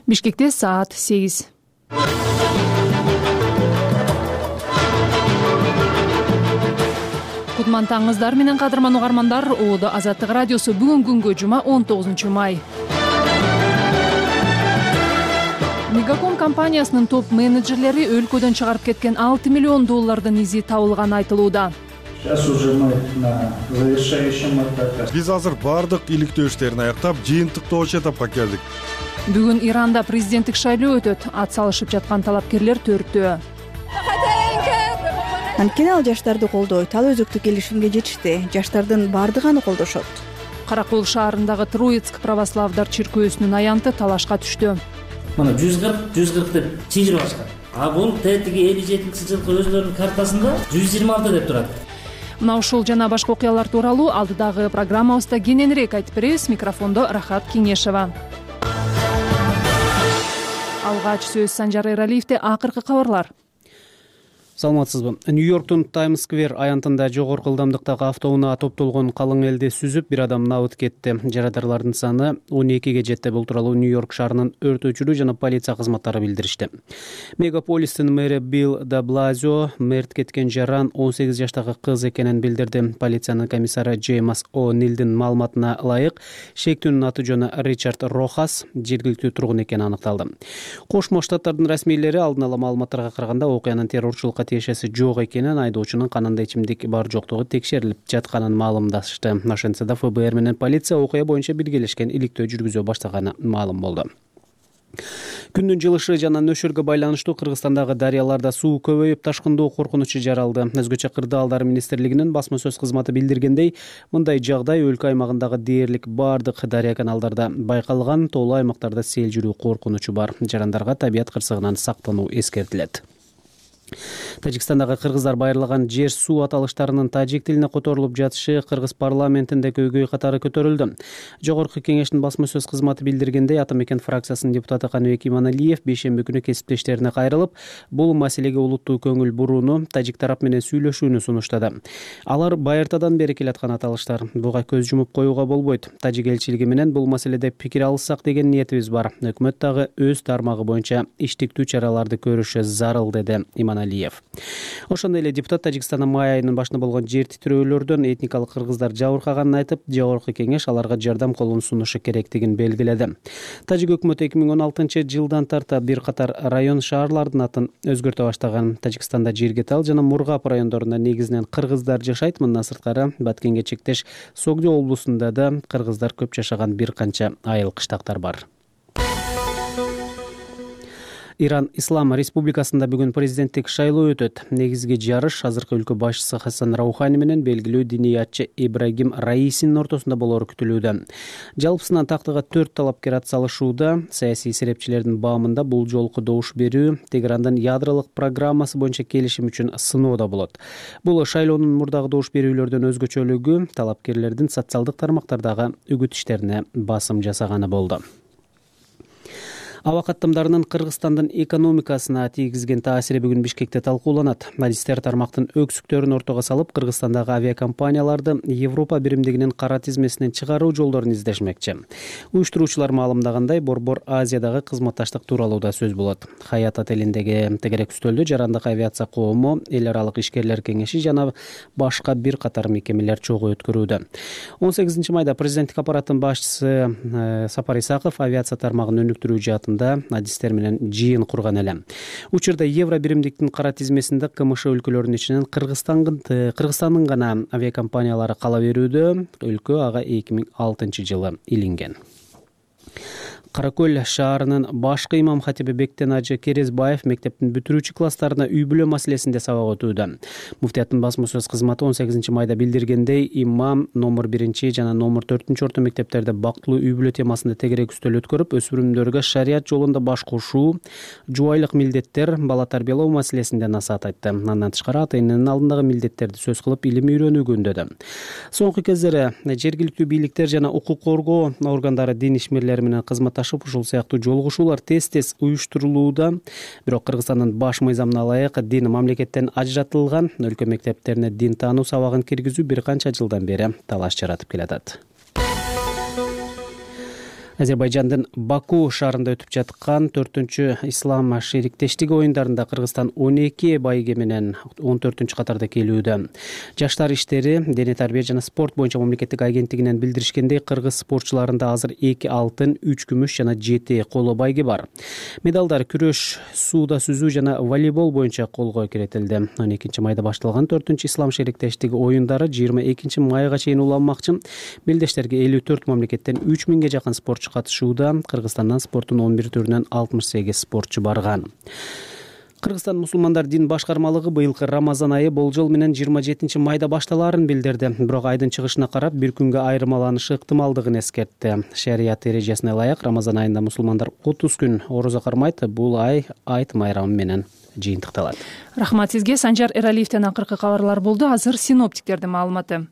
Бишкекте саат 8. Кутман таңыңыздар менен кадырман угармандар. Оодо Азаттык радиосу бүгүн күнгө жума 19 май. Мегаком компаниясынын топ менеджерлери өлкөдөн чыгарып кеткен 6 миллион доллардын изи табылганы айтылууда. Биз азыр бардык иликтөө иштерин аяктап, жыйынтыктоочу этапка келдик. Бүгүн Иранда президенттик шайлоо өтөт. Ат салышып жаткан талапкерлер 4-төө. Анткени ал жаштарды колдойт. Ал өзөктү келишимге жетишти. Жаштардын бардыгы аны колдошот. Каракол шаарындагы Троицк православдар чиркөөсүнүн аянты талашка түштү. Мына 140 деп чыжырып ачкан. А бул тетиги 57 жылкы өзлөрүнүн картасында 126 деп турат. Мына ушул жана башка окуялар тууралуу алдыдагы программабызда кененирээк айтып беребиз. Микрофондо Рахат Кеңешева. Алгач сөз Санжар Эралиевде. Акыркы кабарлар. Саламатсызбы? Нью-Йорктун Таймс Сквер аянтында жогорку ылдамдыктагы автоунаа топтолгон калың элди сүзүп, бир адам набыт кетти. Жарадаарлардын саны 12ге жетти. Бул тууралуу Нью-Йорк шаарынын өрт өчүрүү жана полиция кызматтары билдиришти. Мегаполистин мэри Билл де Блазио мерт кеткен жаран 18 жаштагы кыз экенин билдирди. Полициянын комиссары Джеймс О'Нилдин маалыматына ылайык, шектүүнүн аты жөнү Ричард Рохас, жергиликтүү тургун экени аныкталды. Кошмо Штаттардын расмийлери алдын ала маалыматтарга караганда окуянын террорчулукка тиешеси жок экенин, айдоочунун канында ичимдик бар жоктугу текшерилип жатканын маалымдашты. Ошентсе да ФБР менен полиция окуя боюнча биргелешкен иликтөө жүргүзө баштаганы маалым болду. Күндүн жылышы жана нөшөргө байланыштуу Кыргызстандагы дарыяларда суу көбөйүп, ташкындоо коркунучу жаралды. Өзгөчө Кырдаалдар министрлигинин басма сөз кызматы билдиргендей, мындай жагдай өлкө аймагындагы дээрлик бардык дарыя каналдарда байкалган, тоолуу аймактарда сел жүрүү коркунучу бар. Жарандарга табият кырсыгынан сактануу эскертилет. Тажикстандагы кыргыздар байырлаган жер суу аталыштарынын тажик тилине которулуп жатышы Кыргыз парламентинде көйгөй катары көтөрүлдү. Жогорку кеңештин басма сөз кызматы билдиргендей, Ата мекен фракциясынын депутаты Каныбек Иманалиев бейшемби күнү кесиптештерине кайрылып, бул маселеге улуттуу көңүл бурууну, тажик тарап менен сүйлөшүүнү сунуштады. Алар байыртадан бери келаткан аталыштар. Буга көз жумуп коюуга болбойт. Тажик элчилиги менен бул маселеде пикир алышсак деген ниетибиз бар. Өкмөт дагы өз тармагы боюнча иштиктүү чараларды көрүшү зарыл, деди Иманалиев. Ошондой эле депутат Тажикстанда май айынын башында болгон жер титирөөлөрдөн этникалык кыргыздар жабыркаганын айтып, жогорку кеңеш аларга жардам колун сунушу керектигин белгиледи. Тажик өкмөтү 2016 жылдан тарта бир катар район шаарлардын атын өзгөртө баштаган. Тажикстанда Жиргетал жана Мургап райондорунда негизинен кыргыздар жашайт. Мындан сырткары Баткенге чектеш Согдо облусунда да кыргыздар көп жашаган бир канча айыл кыштактар бар. Иран Ислам Республикасында бүгүн президенттик шайлоо өтөт. Негизги жарыш азыркы өлкө башчысы Хасан Раухани менен белгилүү диниятчы Ибрагим Раисинин ортосунда болору күтүлүүдө. Жалпысынан тактыга 4 талапкер ат салышууда. Саясий серепчилердин баамында бул жолку добуш берүү Тегерандын ядролук программасы боюнча келишим үчүн сыноо болот. Бул шайлоонун мурдагы добуш берүүлөрдөн өзгөчөлүгү талапкерлердин социалдык тармактардагы үгүт иштерине басым жасаганы болду. Аба каттамдарынын Кыргызстандын экономикасына тийгизген таасири бүгүн Бишкекте талкууланат. Адистер тармактын өксүктөрүн ортого салып, Кыргызстандагы авиакомпанияларды Европа биримдигинин кара тизмесинен чыгаруу жолдорун издешмекчи. Уюштуруучулар маалымдагандай, Борбор Азиядагы кызматташтык тууралуу да сөз болот. Хаят отелиндеги тегерек үстөлдө жарандык авиация коому, эл аралык ишкерлер кеңеши жана башка бир катар мекемелер чогуу өткөрүүдө. 18 майда президенттик аппараттын башчысы Сапар Исаков авиация тармагын өнүктүрүү жаатында адистер менен жыйын курган эле. Учурда Евро биримдиктин кара тизмесинде КМШ өлкөлөрүнүн ичинен Кыргызстандын гана авиакомпаниялары кала берүүдө. Өлкө ага 2006 жылы илинген. Каракөл шаарынын башкы имам хатиби Бектен Ажы Керезбаев мектептин бүтүрүүчү класстарына үй-бүлө маселесинде сабак өтүүдө. Муфтияттын басма сөз кызматы 18 майда билдиргендей, имам номер 1 жана номер 4 орто мектептерде бактылуу үй-бүлө темасында тегерек үстөл өткөрүп, өспүрүмдөргө шарият жолунда баш кошуу, жубайлык милдеттер, бала тарбиялоо маселесинде насаат айтты. Андан тышкары ата-эненин алдындагы милдеттерди сөз кылып, илим үйрөнүүгө үндөдү. Соңку кездери жергиликтүү бийликтер жана укук коргоо органдары дин ишмерлери менен кызматташып, ушул сыяктуу жолугушуулар тез-тез уюштурулууда. Бирок Кыргызстандын баш мыйзамына ылайык дин мамлекеттен ажыратылган. Өлкө мектептерине дин таануу сабагын киргизүү бир канча жылдан бери талаш жаратып келатат. Азербайжандын Баку шаарында өтүп жаткан 4-чү ислам шериктештиги оюндарында Кыргызстан 12 байге менен 14-катарда келүүдө. Жаштар иштери, дене тарбия жана спорт боюнча мамлекеттик агенттигинен билдиришкендей, кыргыз спортчуларында азыр 2 алтын, 3 күмүш жана 7 коло байге бар. Медалдар күрөш, сууда сүзүү жана волейбол боюнча колго киретилди. 12 майда башталган 4-чү ислам шериктештиги оюндары 22 майга чейин уланмакчы. Белдештерге 54 мамлекеттен 3000ге жакын спортчу катышууда. Кыргызстандан спорттун 11 түрүнөн 68 спортчу барган. Кыргызстан мусулмандар дин башкармалыгы быйылкы Рамазан айы болжол менен 27 майда башталаарын билдирди. Бирок айдын чыгышына карап бир күнгө айырмаланышы ыктымалдыгын эскертти. Шарият эрежесине ылайык Рамазан айында мусулмандар 30 күн орозо кармайт. Бул ай айт майрамы менен жыйынтыкталат. Рахмат сизге. Санжар Эралиевден акыркы кабарлар болду. Азыр синоптиктердин маалыматы.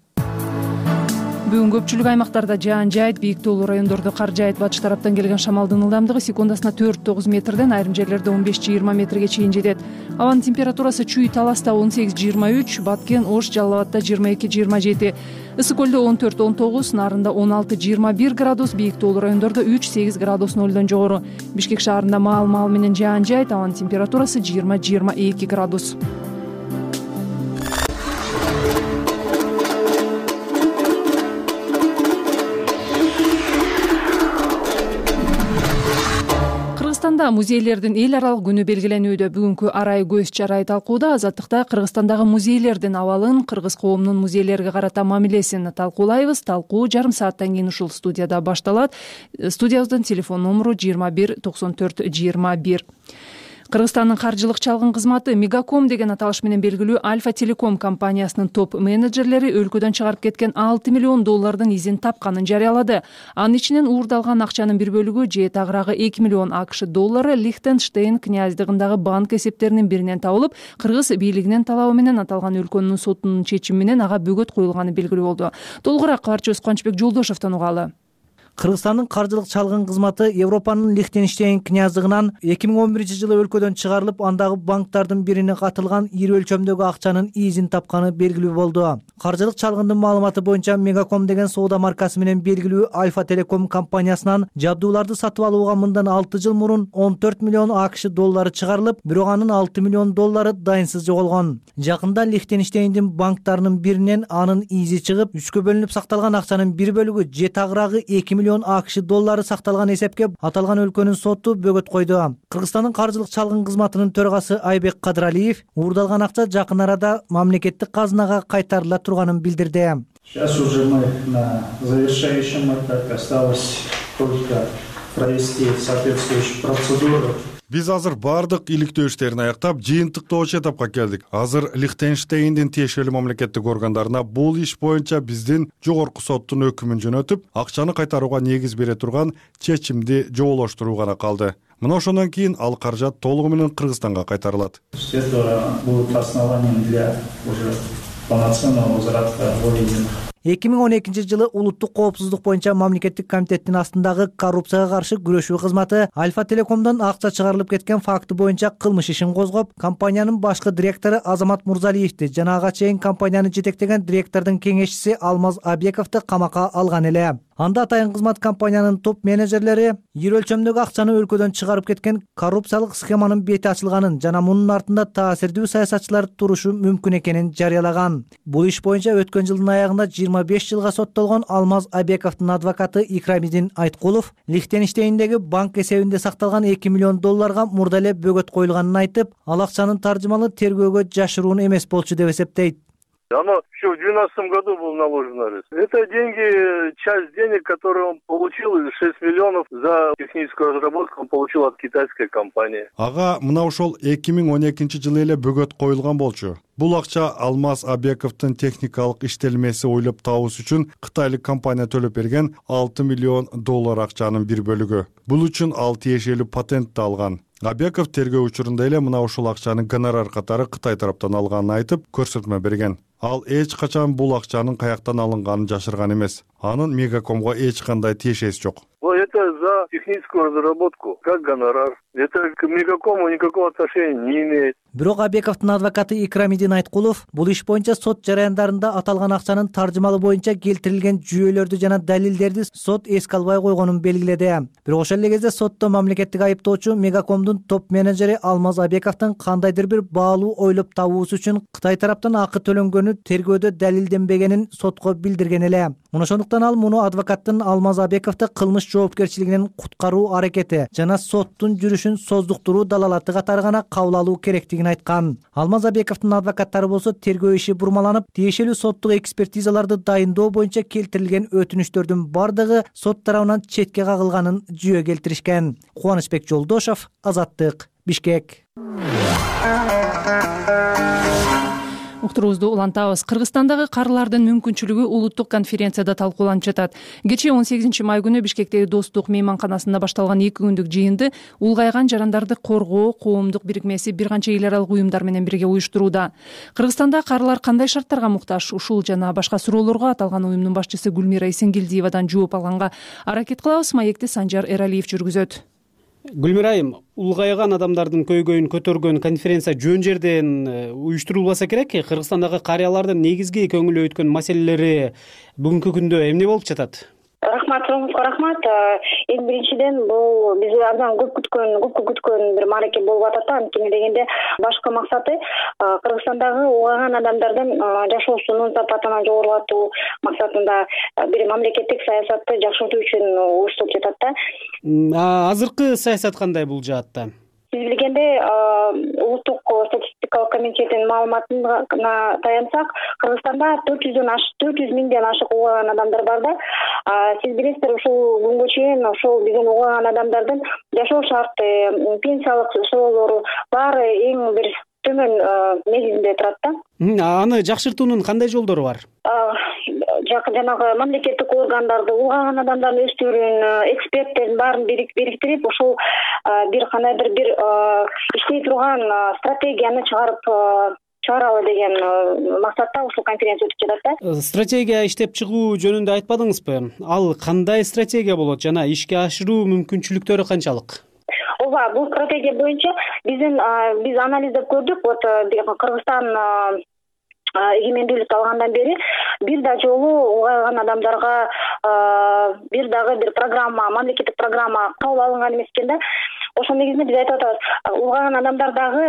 Бүгүн көпчүлүк аймактарда жаан жайт, бийик тоолуу райондордо кар жайт. Батыш тараптан келген шамалдын ылдамдыгы секундасына 4-9 метрден, айрым жерлерде 15-20 метрге чейин жетет. Абанын температурасы Чүй Таласта 18-23, Баткен, Ош, Жалал Абадта 22-27, Ысык көлдө 14-19, Нарында 16-21 градус, бийик тоолуу райондордо 3-8 градус нөлдөн жогору. Бишкек шаарында маал менен жаан жайт, абанын температурасы 20-22 градус. Кыргызстанда музейлердин эл аралык күнү белгиленүүдө. Бүгүнкү арай көз чарай талкууда Азаттыкта Кыргызстандагы музейлердин абалын, кыргыз коомунун музейлерге карата мамилесин талкуулайбыз. Талкуу жарым сааттан кийин ушул студияда башталат. Студиябыздын телефон номеру 21 94 21. Кыргызстандын каржылык чалгын кызматы Мегаком деген аталыш менен белгилүү Альфа Телеком компаниясынын топ менеджерлери өлкөдөн чыгарып кеткен $6 миллион изин тапканын жарыялады. Анын ичинен уурдалган акчанын бир бөлүгү же тагыраагы $2 миллион Лихтенштейн князьдыгындагы банк эсептеринин биринен табылып, кыргыз бийлигинин талабы менен аталган өлкөнүн сотунун чечими менен ага бөгөт коюлганы белгилүү болду. Толугураак кабарчыбыз Кубанычбек Жолдошовдон угалы. Кыргызстандын каржылык чалгын кызматы Европанын Лихтенштейн князьдыгынан 2011-жылы өлкөдөн чыгарылып, андагы банктардын бирине катылган ири өлчөмдөгү акчанын изин тапканы белгилүү болду. Каржылык чалгындын маалыматы боюнча Мегаком деген соода маркасы менен белгилүү Альфа Телеком компаниясынан жабдууларды сатып алууга мындан 6 жыл мурун $14 миллион чыгарылып, бирок анын $6 миллион дайынсыз жоголгон. Жакында Лихтенштейндин банктарынын биринен анын изи чыгып, 3кө бөлүнүп сакталган акчанын бир бөлүгү же тагыраагы $2 миллион сакталган эсепке аталган өлкөнүн соту бөгөт койду. Кыргызстандын каржылык чалгын кызматынын төрагасы Айбек Кадыралиев уурдалган акча жакын арада мамлекеттик казынага кайтарыла турганын билдирди. Сейчас уже мы на завершающем этапе, осталось только провести соответствующую процедуру. Биз азыр бардык иликтөө иштерин аяктап, жыйынтыктоочу этапка келдик. Азыр Лихтенштейндин тиешелүү мамлекеттик органдарына бул иш боюнча биздин жогорку соттун өкүмүн жөнөтүп, акчаны кайтарууга негиз бере турган чечимди жоболоштуруу гана калды. Мына ошондон кийин ал каражат толугу менен Кыргызстанга кайтарылат. Это будет основанием для уже полноценного возврата выведенных. 2012-жылы улуттук коопсуздук боюнча мамлекеттик комитеттин астындагы коррупцияга каршы күрөшүү кызматы Альфа Телекомдон акча чыгарылып кеткен факты боюнча кылмыш ишин козгоп, компаниянын башкы директору Азамат Мурзалиевди жана ага чейин компанияны жетектеген директордун кеңешчиси Алмаз Абековду камакка алган эле. Анда атайын кызмат компаниянын топ менеджерлери ири өлчөмдөгү акчаны өлкөдөн чыгарып кеткен коррупциялык схеманын бети ачылганын жана мунун артында таасирдүү саясатчылар турушу мүмкүн экенин жарыялаган. Бул иш боюнча өткөн жылдын аягында 25 жылга соттолгон Алмаз Абековдун адвокаты Икрамидин Айткулов Лихтенштейндеги банк эсебинде сакталган $2 миллион мурда эле бөгөт коюлганын айтып, ал акчанын таржымалы тергөөгө жашыруун эмес болчу деп эсептейт. Оно еще в 2012 году был наложен арест. Это деньги, часть денег, которые он получил, 6 миллионов за техническую разработку он получил от китайской компании. Ага, мына ошол 2012-жылы эле бөгөт коюлган болчу. Бул акча Алмаз Абековдун техникалык иштелмеси ойлоп табуус үчүн кытайлык компания төлөп берген $6 миллион акчанын бир бөлүгү. Бул үчүн ал тиешелүү патентти алган. Абеков тергөө учурунда эле мына ошол акчаны гонорар катары Кытай тараптан алганын айтып, көрсөтмө берген. Ал эч качан бул акчанын каяктан алынганын жашырган эмес. Анын Мегакомго эч кандай тиешеси жок. Это это за техническую разработку, как гонорар. Это к Мегакому никакого отношения не имеет. Бирок Абековдун адвокаты Икрамидин Айткулов бул иш боюнча сот жараяндарында аталган акчанын таржымалы боюнча келтирилген жүйөлөрдү жана далилдерди сот эске албай койгонун белгиледи. Бирок ошол эле кезде сотто мамлекеттик айыптоочу Мегакомдун топ менеджери Алмаз Абековдун кандайдыр бир баалуу ойлоп табуусу үчүн Кытай тараптан акы төлөнгөнү тергөөдө далилденбегенин сотко билдирген эле. Ошондуктан ал муну адвокаттын Алмаз Абековду кылмыш жоопкерчилигинен куткаруу аракети жана соттун жүрүшүн создуктуруу далалаты катары гана кабыл алуу керектигин айткан. Алмаз Абековдун адвокаттары болсо тергөө иши бурмаланып, тиешелүү соттук экспертизаларды дайындоо боюнча келтирилген өтүнүчтөрдүн бардыгы сот тарабынан четке кагылганын жүйө келтиришкен. Кубанычбек Жолдошов, Азаттык, Бишкек. Уктуруубузду улантабыз. Кыргызстандагы карлардын мүмкүнчүлүгү улуттук конференцияда талкууланып жатат. Кечээ 18 май күнү Бишкектеги Достук мейманканасында башталган 2 күндүк жыйынды улгайган жарандарды коргоо коомдук бирикмеси бир канча эл аралык уюмдар менен бирге уюштурууда. Кыргызстанда карлар кандай шарттарга муктаж? Ушул жана башка суроолорго аталган уюмдун башчысы Гүлмира Эсенгелдиевадан жооп алганга аракет кылабыз. Маекти Санжар Эралиев жүргүзөт. Гүлмира айым, улгайган адамдардын көйгөйүн көтөргөн конференция жөн жерден уюштурулбаса керек. Кыргызстандагы карыялардын негизги көңүл өткөн маселелери бүгүнкү күндө эмне болуп жатат? Рахмат, суроңузга рахмат. Эң биринчиден бул биз абдан көп күткөн бир маареке болуп атат. Анткени дегенде башкы максаты Кыргызстандагы улгайган адамдардын жашоосунун сапатын жогорулатуу максатында бир мамлекеттик саясатты жакшыртуу үчүн уюштуруп жатат да. Азыркы саясат кандай бул жаатта? Сиз билгендей, улуттук статистикалык комитеттин маалыматына таянсак, Кыргызстанда 400 миңден ашык улгайган адамдар бар да. Сиз билесиздер, ушул күнгө чейин ошол биздин улгайган адамдардын жашоо шарты, пенсиялык суроолору баары эң бир төмөн негизинде турат да. Аны жакшыртуунун кандай жолдору бар? Жанагы мамлекеттик органдарды, улгайган адамдардын өздөрүн, эксперттердин баарын бириктирип, ошол бир кандайдыр бир иштей турган стратегияны чыгаралы деген максатта ушул конференция өтүп жатат да. Стратегия иштеп чыгуу жөнүндө айтпадыңызбы? Ал кандай стратегия болот жана ишке ашыруу мүмкүнчүлүктөрү канчалык? Ооба, бул стратегия боюнча биз анализдеп көрдүк. Вот Кыргызстан эгемендүүлүк алгандан бери бир да жолу улгайган адамдарга бир дагы бир программа, мамлекеттик программа кабыл алынган эмес экен да. Ошол негизинде биз айтып атабыз, улгайган адамдар дагы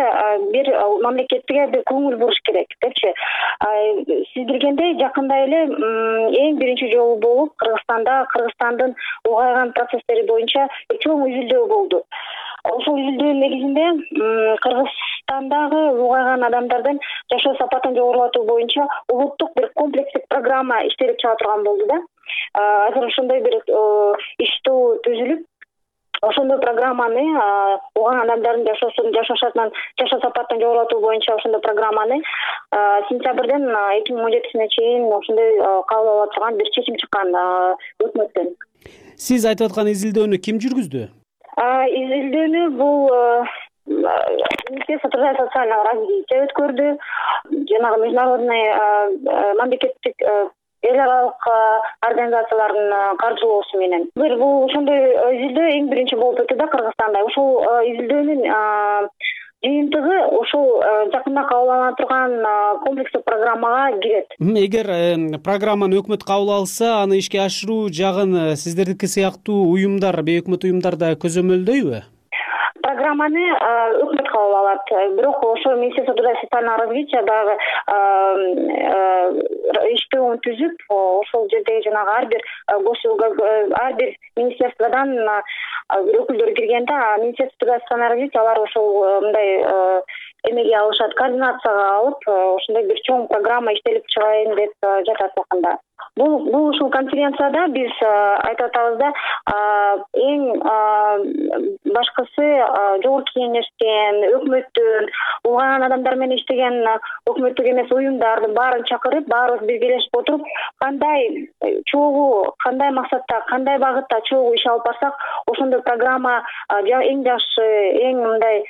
бир мамлекетке бир көңүл буруш керек депчи. Сиз билгендей, жакында эле эң биринчи жолу болуп Кыргызстандын улгайган процесстери боюнча чоң изилдөө болду. Ошол изилдөөнүн негизинде Кыргызстандагы улгайган адамдардын жашоо сапатын жогорулатуу боюнча улуттук бир комплексдик программа иштелип чыга турган болду да. Азыр ошондой бир иштөө түзүлүп, ошондой программаны улгайган адамдардын жашоо шартынан жашоо сапатын жогорулатуу боюнча ошондой программаны сентябрден 2017 чейин ошондой кабыл ала турган бир чечим чыккан өкмөттөн. Сиз айтып аткан изилдөөнү ким жүргүздү? Изилдөөнү бул Министерство труда и социального развития өткөрдү. Жанагы международный мамлекеттик эл аралык организациялардын каржылоосу менен. Бул ошондой изилдөө эң биринчи болуп өтүп да Кыргызстанда. Ошол изилдөөнүн жыйынтыгы ошол жакында кабыл алына турган комплекстик программага кирет. Эгер программаны өкмөт кабыл алса, аны ишке ашыруу жагын сиздердики сыяктуу уюмдар, бейөкмөт уюмдар да көзөмөлдөйбү? Программаны өкмөт кабыл алат. Бирок ошо Министерство труда и социального развития дагы иштөөн түзүп, ошол жердеги жанагы ар бир министерстводан өкүлдөр киргенде, Министерство труда и социального развития алар ошол мындай эмеге алышат, координацияга алып, ошондой бир чоң программа иштелип чыгайын деп жатат жакында. Бул ушул конференцияда биз айтып атабыз да, эң башкысы жогорку кеңештен, өкмөттөн, улгайган адамдар менен иштеген өкмөттүк эмес уюмдардын баарын чакырып, баарыбыз биргелешип отуруп, кандай чогуу, кандай максатта, кандай багытта чогуу иш алып барсак, ошондой программа эң жакшы, эң мындай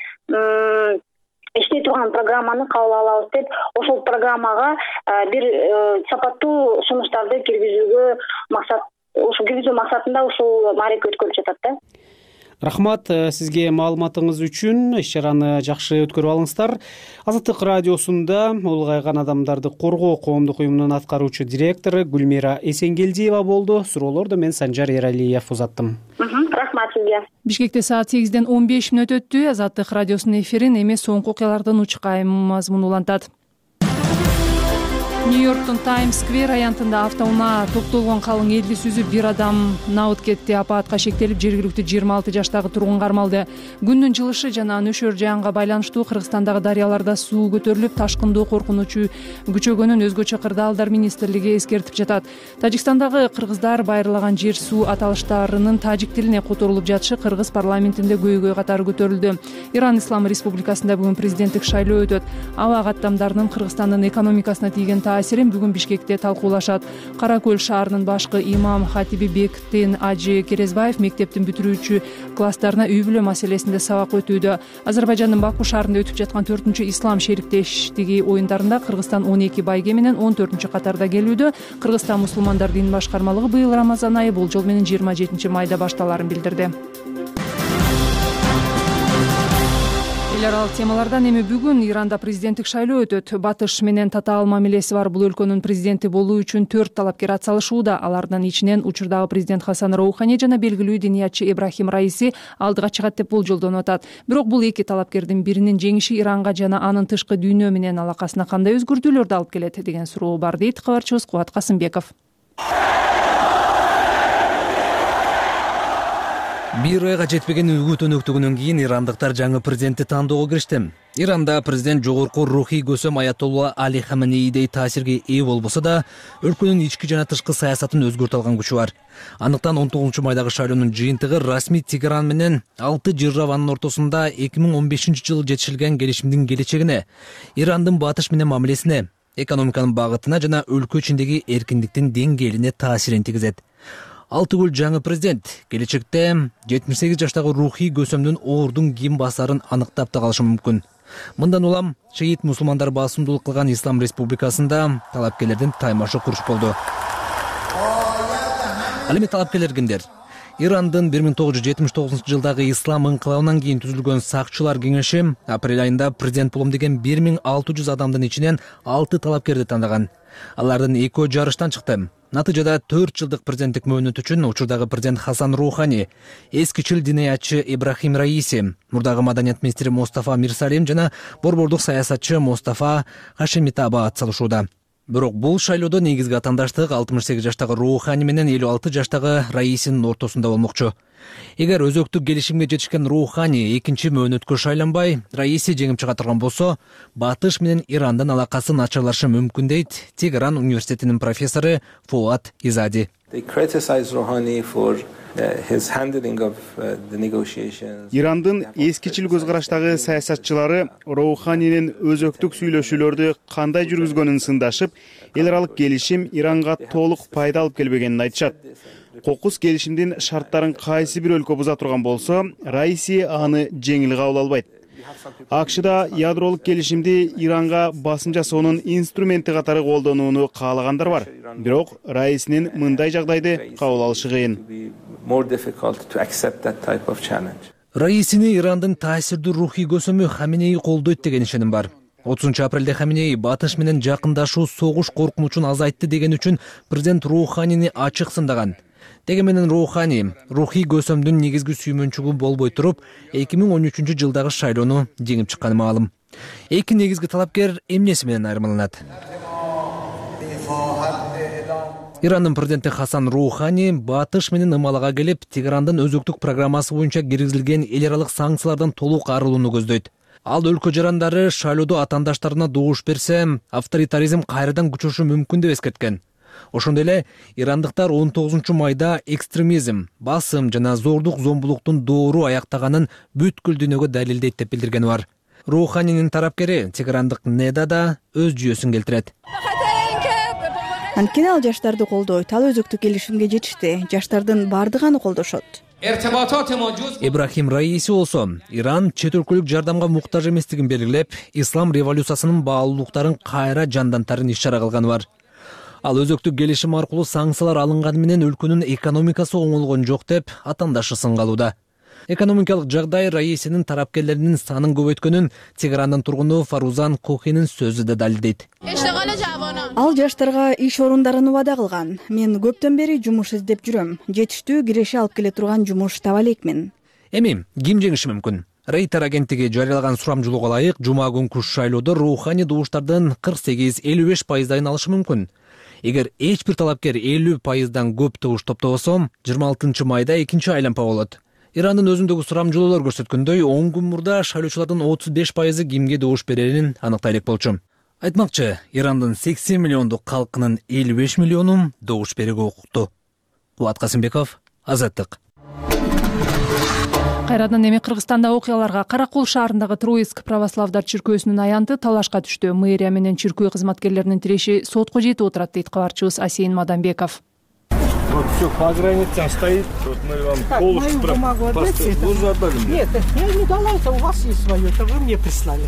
иштей турган программаны кабыл алабыз деп, ошол программага бир сапаттуу сунуштарды киргизүүгө максат ушул киргизүү максатында ушул маареке өткөрүлүп жатат да. Рахмат сизге маалыматыңыз үчүн. Иш чараны жакшы өткөрүп алыңыздар. Азаттык радиосунда улгайган адамдарды коргоо коомдук уюмунун аткаруучу директору Гүлмира Эсенгелдиева болду. Суроолорду мен Санжар Эралиев узаттым. Рахмат сизге. Бишкекте саат 8:15 өттү. Азаттык радиосунун эфирин эми соңку окуялардын учкайым мазмуну улантат. Нью-Йорктун Таймс-сквер аянтында автоунаа топтолгон калың элди сүзүп бир адам набыт кетти. Апаатка шектелип жергиликтүү 26 жаштагы тургун кармалды. Күндүн жылышы жана нөшөр жаанга байланыштуу Кыргызстандагы дарыяларда суу көтөрүлүп, ташкындоо коркунучу күчөгөнүн өзгөчө кырдаалдар министрлиги эскертип жатат. Тажикстандагы кыргыздар байырлаган жер суу аталыштарынын тажик тилине которулуп жатышы кыргыз парламентинде көйгөй катары көтөрүлдү. Иран Ислам Республикасында бүгүн президенттик шайлоо өтөт. Аба каттамдарынын Кыргызстандын экономикасына тийген таасирин бүгүн Бишкекте талкуулашат. Кара Көл шаарынын башкы имам Хатиби Бектин Ажы Керезбаев мектептин бүтүрүүчү класстарына үй-бүлө маселесинде сабак өтүүдө. Азербайжандын Баку шаарында өтүп жаткан 4-чү ислам шериктештиги оюндарында Кыргызстан 12 байге менен 14-чү катарда келүүдө. Кыргызстан мусулмандар дин башкармалыгы быйыл Рамазан айы болжол менен 27 майда башталарын билдирди. Эл аралык темалардан эми бүгүн Иранда президенттик шайлоо өтөт. Батыш менен татаал мамилеси бар бул өлкөнүн президенти болуу үчүн 4 талапкер атсалышууда. Алардын ичинен учурдагы президент Хасан Роухани жана белгилүү диниятчы Ибрахим Раиси алдыга чыгат деп болжолдонуп атат. Бирок бул эки талапкердин биринин жеңиши Иранга жана анын тышкы дүйнө менен алакасына кандай өзгөртүүлөрдү алып келет деген суроо бар дейт кабарчыбыз Кубат Касымбеков. Бир айга жетпеген үгүт өнөктүгүнөн кийин ирандыктар жаңы президентти тандоого киришти. Иранда президент жогорку рухий көсөм Аятолла Али Хаменеидей таасирге ээ болбосо да, өлкөнүн ички жана тышкы саясатын өзгөртө алган күчү бар. Андыктан 19 майдагы шайлоонун жыйынтыгы расмий Тегеран менен 6 державанын ортосунда 2015-жылы жетишилген келишимдин келечегине, Ирандын батыш менен мамилесине, экономиканын багытына жана өлкө ичиндеги эркиндиктин деңгээлине таасирин тийгизет. Алтыгүл жаңы президент келечекте 78 жаштагы рухий көсөмдүн оордун ким басарын аныктап да калышы мүмкүн. Мындан улам шиит мусулмандар басымдуулук кылган Ислам Республикасында талапкерлердин таймашы куруш болду. Ал эми талапкерлер кимдер? Ирандын 1979-жылдагы ислам ыңкылабынан кийин түзүлгөн сакчылар кеңеши апрель айында президент болом деген 1600 адамдын ичинен 6 талапкерди тандаган. Алардын экөө жарыштан чыкты. Натыйжада 4 жылдык президенттик мөөнөт үчүн учурдагы президент Хасан Роухани, эскичил диниятчы Ибрахим Раиси, мурдагы маданият министри Мустафа Мирсалим жана борбордук саясатчы Мустафа Хашемитаба атсалышууда. Бирок бул шайлоодо негизги атаандаштык 68 жаштагы Роухани менен 56 жаштагы Раисинин ортосунда болмокчу. Эгер өзөктүк келишимге жетишкен Роухани экинчи мөөнөткө шайланбай, Раиси жеңип чыга турган болсо, батыш менен Ирандын алакасы начарлашы мүмкүн дейт Тегеран университетинин профессору Фуат Изади. Ирандын эскичил көз караштагы саясатчылары Роуханинин өзөктүк сүйлөшүүлөрдү кандай жүргүзгөнүн сындашып, эл аралык келишим Иранга толук пайда алып келбегенин айтышат. Кокус келишимдин шарттарын кайсы бир өлкө буза турган болсо, Раиси аны жеңил кабыл албайт. АКШда ядролук келишимди Иранга басым жасоонун инструменти катары колдонууну каалагандар бар. Бирок Раисинин мындай жагдайды кабыл алышы кыйын. Раисини Ирандын таасирдүү рухий көсөмү Хаменеи колдойт деген ишеним бар. 30-апрелде Хаменеи батыш менен жакындашуу согуш коркунучун азайтты деген үчүн президент Роуханини ачык сындаган. Деги менен Роухани рухий көсөмдүн негизги сүймөнчүгү болбой туруп, 2013-жылдагы шайлоону жеңип чыкканы маалым. Эки негизги талапкер эмнеси менен айырмаланат? Ирандын президенти Хасан Роухани батыш менен ымалага келип, Тегерандын өзөктүк программасы боюнча киргизилген эл аралык санкциялардан толук арылууну көздөйт. Ал өлкө жарандары шайлоодо атаандаштарына добуш берсе, авторитаризм кайрадан күчөшү мүмкүн деп эскерткен. Ошондой эле ирандыктар 19 майда экстремизм, басым жана зордук зомбулуктун доору аяктаганын бүткүл дүйнөгө далилдейт деп билдиргени бар. Роуханинин тарапкери Тегерандык Неда да өз жүйөсүн келтирет. Анткени ал жаштарды колдойт, ал өзөктүк келишимге жетишти. Жаштардын бардыгы аны колдошот. Ибрахим Раиси болсо, Иран чет өлкөлүк жардамга муктаж эместигин белгилеп, ислам революциясынын баалуулуктарын кайра жандантарын иш-чара кылганы бар. Ал өзөктүк келишим аркылуу санкциялар алынганы менен өлкөнүн экономикасы оңолгон жок деп атаандашы сынгалууда. Экономикалык жагдай Раисинин тарапкерлеринин санын көбөйткөнүн Тегерандын тургуну Фарузан Кохинин сөзү да далилдейт. Ал жаштарга иш орундарын убада кылган. Мен көптөн бери жумуш издеп жүрөм. Жетиштүү киреше алып келе турган жумуш таба элекмин. Эми ким жеңиши мүмкүн? Рейтер агенттиги жарыялаган сурамжылоого ылайык жума күнкү шайлоодо руханий добуштардын 48-55% алышы мүмкүн. Эгер эч бир талапкер 50%дан көп добуш топтобосо, 26 майда экинчи айлампа болот. Ирандын өзүндөгү сурамжылоолор көрсөткөндөй, 10 күн мурда шайлоочулардын 35% кимге добуш берерин аныктай элек болчу. Айтмакчы, Ирандын 80 миллиондук калкынын 55 миллиону добуш берүүгө укуктуу. Кубат Касымбеков, Азаттык. Кайрадан эми Кыргызстанда окуяларга Каракол шаарындагы Троицк православдар чиркөөсүнүн аянты талашка түштү. Мэрия менен чиркөө кызматкерлеринин тиреши сотко жетип отурат, дейт кабарчыбыз Асейин Мадамбеков. Вот все по границам стоит. Вот мы вам полностью Нет, я не дала, это у вас есть свое, это вы мне прислали.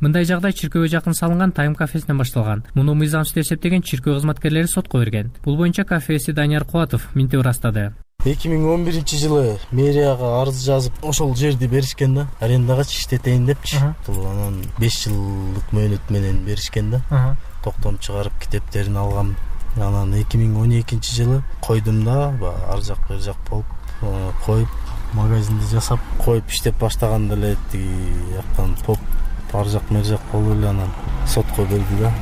Мындай жагдай чиркөөгө жакын салынган Тайм кафесинен башталган. Муну мыйзамсыз деп эсептеген чиркөө кызматкерлери сотко берген. Бул боюнча кафеси Данияр Кубатов минтип ырастады. 2011-жылы мэрияга арыз жазып, ошол жерди беришкен да, арендагачы иштетейин депчи. Анан 5 жылдык мөөнөт менен беришкен да. Токтом чыгарып китептерин алгам. Анан 2012-жылы койдум да, ар жак бер жак болуп, коюп, магазинди жасап, коюп иштеп баштаганда эле тиги жактан топ ар жак мер жак болуп эле анан сотко берди да.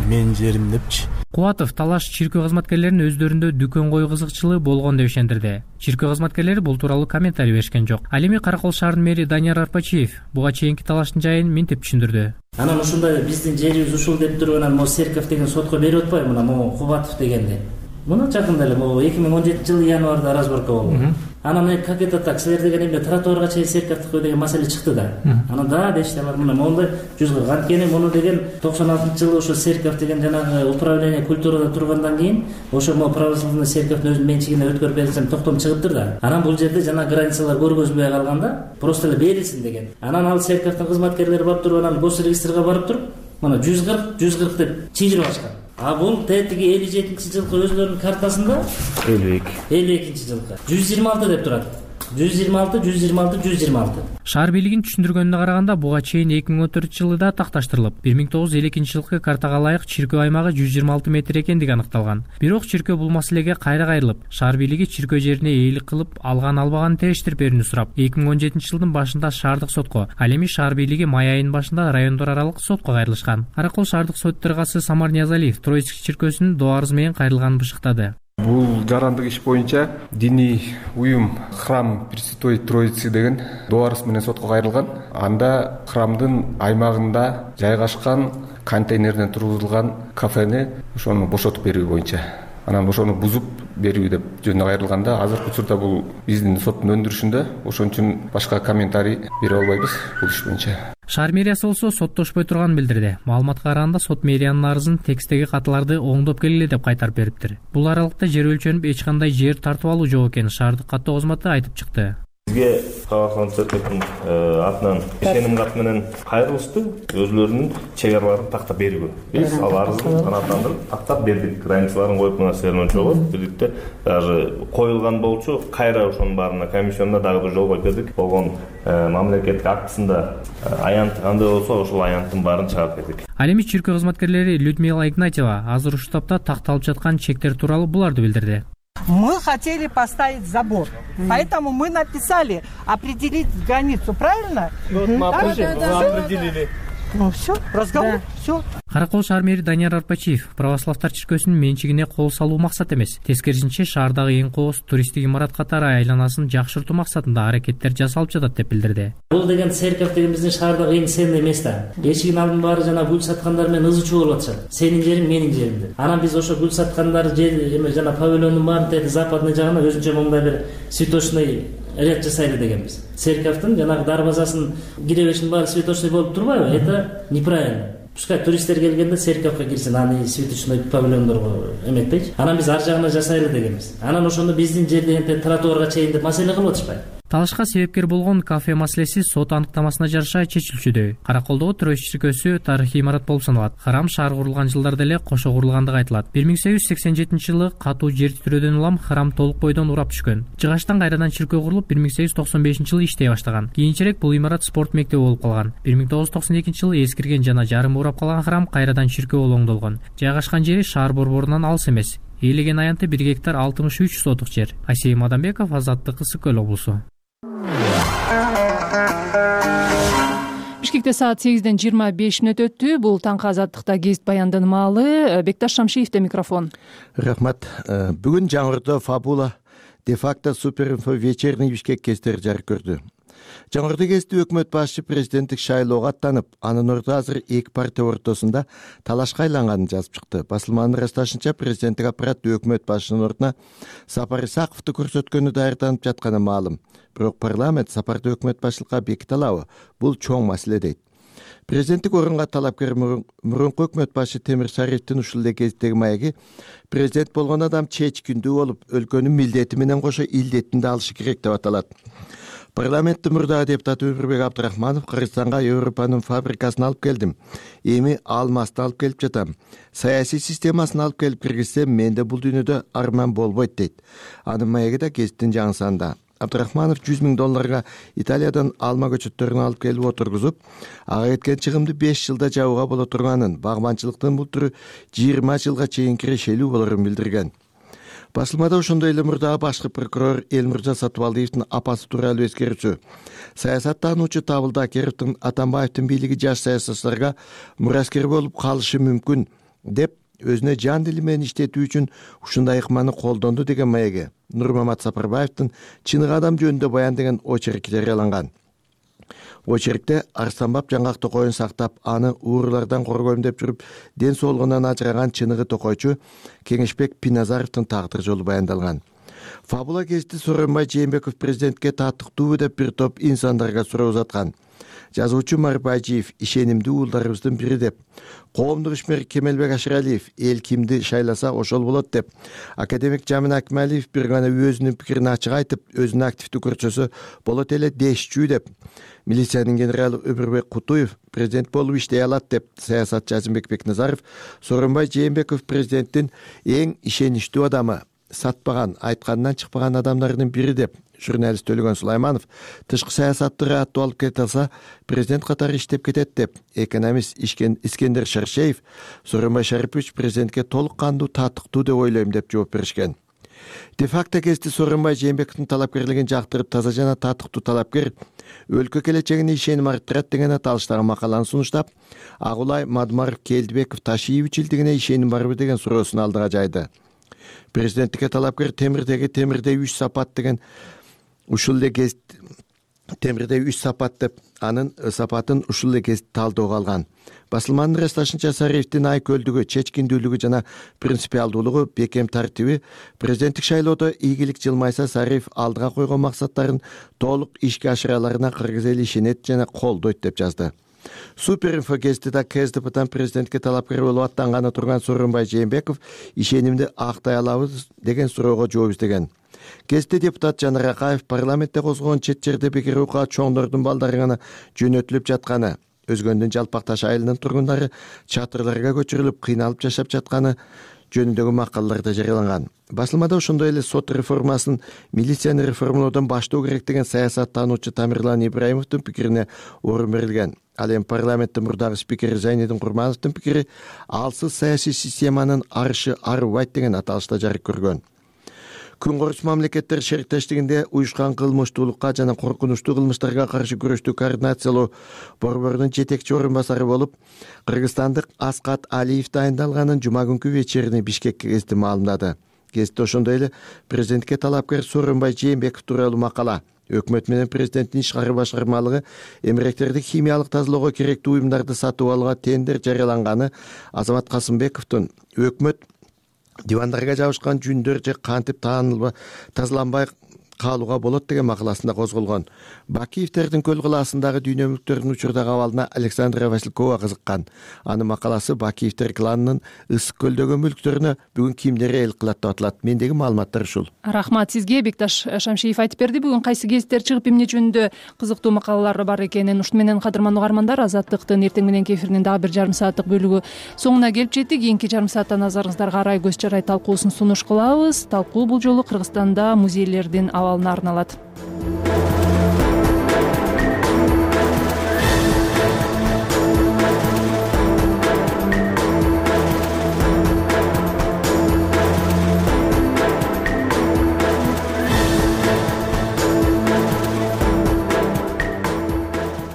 Менин жерим депчи. Кубатов талаш чиркөө кызматкерлеринин өздөрүндө дүкөн кою кызыкчылыгы болгон деп ишендирди. Чиркөө кызматкерлери бул тууралуу комментарий беришкен жок. Ал эми Каракол шаарынын мэри Данияр Арпачиев буга чейинки талаштын жайын минтип түшүндүрдү. Анан ушундай биздин жерибиз ушул деп туруп анан могу Серков деген сотко берип атпайбы мына могу Кубатов дегенди. Муну жакында эле могу 2017-жылы январда разборка болду. Анан как это так, силер деген эмне тротуарга чейин Серковдуку деген маселе чыкты да. Анан да дешти алар мына мондай 140. Анткени муну деген 96-жылы ошо Серков деген жанагы управление культурада тургандан кийин ошо могу православный Серковдун өзүнүн менчигине өткөрүп берилсем токтом чыгыптыр да. Анан бул жерде жана границалар көргөзүлбөй калганда просто эле берилсин деген. Анан ал Серковдун кызматкерлери барып туруп анан госрегистрге барып туруп мына 140 деп чыйдырып алышкан. А бул тетиги 57-жылкы өзлөрүнүн картасында 52-жылкы 126 деп турат. 126. Шаар бийлигинин түшүндүргөнүнө караганда буга чейин 2014-жылы да такташтырылып, 1952-жылкы картага ылайык чиркөө аймагы 126 метр экендиги аныкталган. Бирок чиркөө бул маселеге кайра кайрылып, шаар бийлиги чиркөө жерине ээлик кылып, албаганын териштирип берүүнү сурап, 2017-жылдын башында шаардык сотко, ал эми шаар бийлиги май айынын башында райондор аралык сотко кайрылышкан. Каракол шаардык сот төрагасы Самар Ниязалиев Троицк чиркөөсүнүн доо арызы менен кайрылганын бышыктады. Бул жарандык иш боюнча диний уюм Храм Пресвятой Троицы деген доо арыз менен сотко кайрылган. Анда храмдын аймагында жайгашкан контейнерден тургузулган кафени ошону бошотуп берүү боюнча. Анан ошону бузуп берүү деп жөнүнө кайрылганда, азыркы учурда бул биздин соттун өндүрүшүндө, ошон үчүн башка комментарий бере албайбыз бул иш боюнча. Шаар мэриясы болсо соттошпой турганын билдирди. Маалыматка караганда сот мэриянын арызын текстеги каталарды оңдоп келгиле деп кайтарып бериптир. Бул аралыкта жер өлчөнүп эч кандай жер тартып алуу жок экенин шаардык каттоо кызматы айтып чыкты. Бизге Православный церковдун атынан ишеним кат менен кайрылышты, өзлөрүнүн чек араларын тактап берүүгө. Биз ал арызды канааттандырып тактап бердик, границаларын коюп мына жолго бирдикте даже коюлган болчу, кайра ошонун баарына комиссионда дагы бир жол коюп бердик. Болгон мамлекеттик актысында аянты кандай болсо ошол аянттын баарын чыгарып бердик. Ал эми чиркөө кызматкерлери Людмила Игнатьева азыр ушул тапта такталып жаткан чектер тууралуу буларды билдирди. Мы хотели поставить забор, поэтому мы написали определить границу, правильно? Мы определили. Ну все, разговор, все. Каракол шаар мэри Данияр Арпачиев православдар чиркөөсүнүн менчигине кол салуу максат эмес, тескерисинче шаардагы эң кооз туристтик имарат катары айланасын жакшыртуу максатында аракеттер жасалып жатат деп билдирди. Бул деген Серков деген биздин шаардагы эң сенный место. Эшигин алдын баары жана гүл саткандар менен ызы чуу болуп атышат. Сенин жериң, менин жерим деп. Анан биз ошо гүл саткандар эме жана павильондун баарын западный жагына өзүнчө моңдай бир цветочный ряд жасайлы дегенбиз. Церковдун жанагы дарбазасын кире-беришинин баары цветочный болуп турбайбы? Это неправильно. Пускай туристтер келгенде церковго кирсин, аны цветочный павильондорго эметпейчи. Анан биз ар жагына жасайлы дегенбиз. Анан ошону биздин жер дегенде тротуарга чейин деп маселе кылып атышпайбы? Талашка себепкер болгон кафе маселеси сот аныктамасына жараша чечилчүдө. Караколдогу Троиц чиркөөсү тарыхый имарат болуп саналат. Храм шаар курулган жылдарда эле кошо курулгандыгы айтылат. 1887-жылы катуу жер титирөөдөн улам храм толук бойдон урап түшкөн. Жыгачтан кайрадан чиркөө курулуп 1895-жылы иштей баштаган. Кийинчерээк бул имарат спорт мектеби болуп калган. 1992-жылы эскирген жана жарым урап калган храм кайрадан чиркөө болуп оңдолгон. Жайгашкан жери шаар борборунан алыс эмес. Ээлеген аянты 1 гектар 63 сотук жер. Асей Мадамбеков, Азаттык, Ысык Көл облусу. Бишкекте саат 8:25 өттү. Бул таңкы Азаттыкта гезит баяндын маалы. Бекташ Шамшиевде микрофон. Рахмат. Бүгүн Жаңырда Фабула де-факто суперинфо вечерний Бишкек кестери жарык көрдү. Жаңырды кезде өкмөт башчы президенттик шайлоого аттанып, анын ордуна азыр эки партия ортосунда талашка айланганын жазып чыкты. Басылманын ырасташынча президенттик аппарат өкмөт башчынын ордуна Сапар Исаковду көрсөткөнү даярданып жатканы маалым. Бирок парламент сапарды өкмөт башчылыкка беките алабы? Бул чоң маселе дейт. Президенттик орунга талапкер мурунку өкмөт башчы Темир Шариевдин ушул эле кездеги маеги президент болгон адам чечкиндүү болуп, өлкөнүн милдети менен кошо илдетин да алышы керек деп аталат. Парламенттин мурдагы депутаты Өмүрбек Абдрахманов Кыргызстанга Европанын фабрикасын алып келдим. Эми алмасты алып келип жатам. Саясий системасын алып келип киргизсем, менде бул дүйнөдө арман болбойт дейт. Анын маеги да гезиттин жаңы санында. Абдрахманов $100,000 Италиядан алма көчөттөрүн алып келип отургузуп, ага кеткен чыгымды 5 жылда жабууга боло турганын, багманчылыктын бул түрү 20 жылга чейин кирешелүү болорун билдирген. Басылмада ошондой эле мурдагы башкы прокурор Элмирза Сатыбалдиевдин апасы тууралуу эскерүүчү. Саясаттануучу Табылды Акеровдун Атамбаевдин бийлиги жаш саясатчыларга мураскер болуп калышы мүмкүн деп өзүнө жан дили менен иштетүү үчүн ушундай ыкманы колдонду деген маеги Нурмамат Сапарбаевдин Чыныгы адам жөнүндө баян деген очерки жарыяланган. Очеркте Арстанбап жаңгак токойун сактап, аны уурулардан коргойм деп жүрүп, ден соолугунан ажыраган Чыныгы токойчу Кеңешбек Пиназаровдун тагдыр жолу баяндалган. Фабула гезити Сооронбай Жээнбеков президентке таттыктуубу деп бир топ инсандарга суроо узаткан. Жазуучу Марбайжиев ишенимдүү уулдарыбыздын бири деп, коомдук ишмер Кемелбек Ашыралиев эл кимди шайласа ошол болот деп, академик Жамин Акмалиев бир гана өзүнүн пикирин ачык айтып, өзүн активдүү көрсөсө болот эле дешчүү деп, милициянын генералы Өмүрбек Кутуев президент болуп иштей алат деп, саясатчы Азимбек Бекназаров Сооронбай Жээнбеков президенттин эң ишеничтүү адамы, сатпаган, айтканынан чыкпаган адамдардын бири деп, журналист Төлөгөн Сулайманов тышкы саясатты аттуу алып кете алса, президент катары иштеп кетет деп, экономист Искендер Шаршеев Сооронбай Шарипович президентке толук кандуу таттыктуу деп ойлойм деп жооп беришкен. Де-факто кезде Сооронбай Жээнбековдун талапкерлигин жактырып, таза жана таттыктуу талапкер өлкө келечегине ишеним арттырат деген аталыштагы макаланы сунуштап, Агулай Мадмаров Келдибеков Ташиевичилдигине ишеним барбы деген суроосун алдыга жайды. Президенттикке талапкер темирдей 3 сапат деген ушул эле гезит темирдей 3 сапат деп анын сапатын ушул эле гезит талдоого алган. Басылманын ырасташынча Сариевдин айкөлдүгү, чечкиндүүлүгү жана принципиалдуулугу, бекем тартиби президенттик шайлоодо ийгилик жылмайса, Сариев алдыга койгон максаттарын толук ишке ашыраларына кыргыз эли ишенет жана колдойт деп жазды. Суперинфо гезитиде КСДПдан президентке талапкер болуп аттанганы турган Сооронбай Жээнбеков ишенимди актай алабыз деген суроого жооп издеген. Гезитте депутат Жанар Акаев парламентте козгогон чет жерде бекер окуга чоңдордун балдары гана жөнөтүлүп жатканы, Өзгөндүн Жалпак Таш айылынын тургундары чатырларга көчүрүлүп кыйналып жашап жатканы жөнүндөгү макалаларда жарыяланган. Басылмада ошондой эле сот реформасын милицияны реформалоодон баштоо керек деген саясаттануучу Тамирлан Ибраимовдун пикирине орун берилген. Ал эми парламенттин мурдагы спикери Зайнедин Курмановдун пикири алсыз саясий системанын арышы арыбайт деген аталышта жарык көргөн. Күнкөрүс мамлекеттер шериктештигинде уюшкан кылмыштуулукка жана коркунучтуу кылмыштарга каршы күрөштү координациялоо борборунун жетекчи орун басары болуп, кыргызстандык Аскат Алиев дайындалганын жума күнкү вечерний Бишкек гезити маалымдады. Гезитте ошондой эле президентке талапкер Сооронбай Жээнбеков тууралуу макала, өкмөт менен президенттин ишкары башкармалыгы эмгектерди химиялык тазалоого керектүү уюмдарды сатып алууга тендер жарыяланганы, Азамат Касымбековдун өкмөт дивандарга жабышкан жүндөр же кантип тазаланбай каалууга болот деген макаласында козголгон. Бакиевтердин көл кылаасындагы дүйнө мүлктөрүнүн учурдагы абалына Александра Василькова кызыккан. Анын макаласы Бакиевтер кланынын ысык көлдөгү мүлктөрүнө бүгүн кимдер эл кылат деп аталат. Мендеги маалыматтар ушул. Рахмат сизге. Бекташ Шамшиев айтып берди. Бүгүн кайсы гезиттер чыгып эмне жөнүндө кызыктуу макалалар бар экенин. Ушуну менен кадырман угармандар, Азаттыктын эртең мененки эфиринин дагы бир жарым сааттык бөлүгү соңуна келип жетти. Кийинки жарым саатта назарыңыздарга арай көз жарай талкуусун сунуш кылабыз. Талкуу бул жолу Кыргызстанда музейлердин абалына арналат.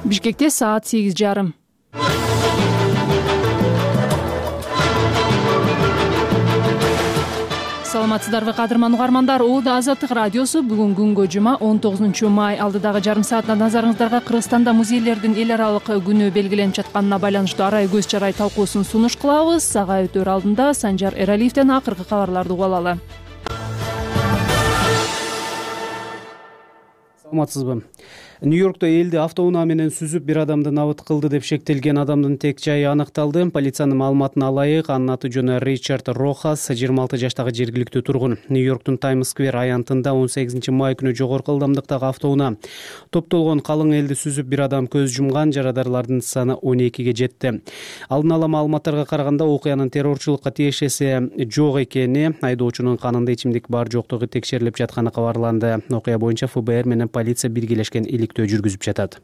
Бишкекте саат 8:30. Саламатсыздарбы кадырман угармандар? Оода Азаттык радиосу бүгүн күнгө жума 19 май. Алдыдагы жарым саатта назарыңыздарга Кыргызстанда музейлердин эл аралык күнү белгиленип жатканына байланыштуу арай көз жарай талкуусун сунуш кылабыз. Сага өтөр алдында Санжар Эралиевден акыркы кабарларды угуп алалы. Саламатсызбы? Нью-Йоркто элди автоунаа менен сүзүп бир адамды набыт кылды деп шектелген адамдын тек жайы аныкталды. Полициянын маалыматына ылайык, анын аты жөнү Ричард Рохас, 26 жаштагы жергиликтүү тургун. Нью-Йорктун Таймс-сквер аянтында 18 май күнү жогорку ылдамдыктагы автоунаа топтолгон калың элди сүзүп бир адам көз жумган, жарадарлардын саны 12ге жетти. Алдын ала маалыматтарга караганда окуянын террорчулукка тиешеси жок экени, айдоочунун канында ичимдик бар жоктугу текшерилип жатканы кабарланды. Окуя боюнча ФБР менен полиция биргелешкен жүргүзүп жатат.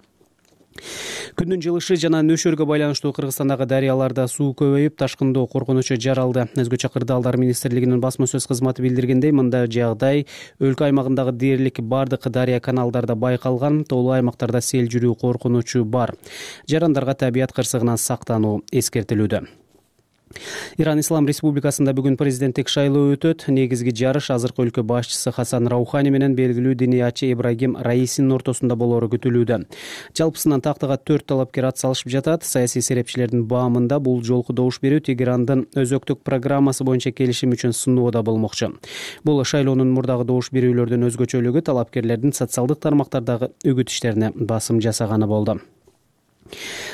Күндүн жылышы жана нөшөргө байланыштуу Кыргызстандагы дарыяларда суу көбөйүп, ташкындоо коркунучу жаралды. Өзгөчө Кырдаалдар министрлигинин басма сөз кызматы билдиргендей, мындай жагдай өлкө аймагындагы дээрлик бардык дарыя каналдарда байкалган. Тоолуу аймактарда сел жүрүү коркунучу бар. Жарандарга табият кырсыгынан сактануу эскертилүүдө. Иран Ислам Республикасында бүгүн президенттик шайлоо өтөт. Негизги жарыш азыркы өлкө башчысы Хасан Раухани менен белгилүү диниячы Ибрагим Раисинин ортосунда болоору күтүлүүдө. Жалпысынан тактыга 4 талапкер ат салышып жатат. Саясий серепчилердин баамында бул жолку добуш берүү Тегерандын өзөктүк программасы боюнча келишим үчүн сунууда болмокчу. Бул шайлоонун мурдагы добуш берүүлөрдүн өзгөчөлүгү талапкерлердин социалдык тармактардагы үгүт иштерине басым жасаганы болду.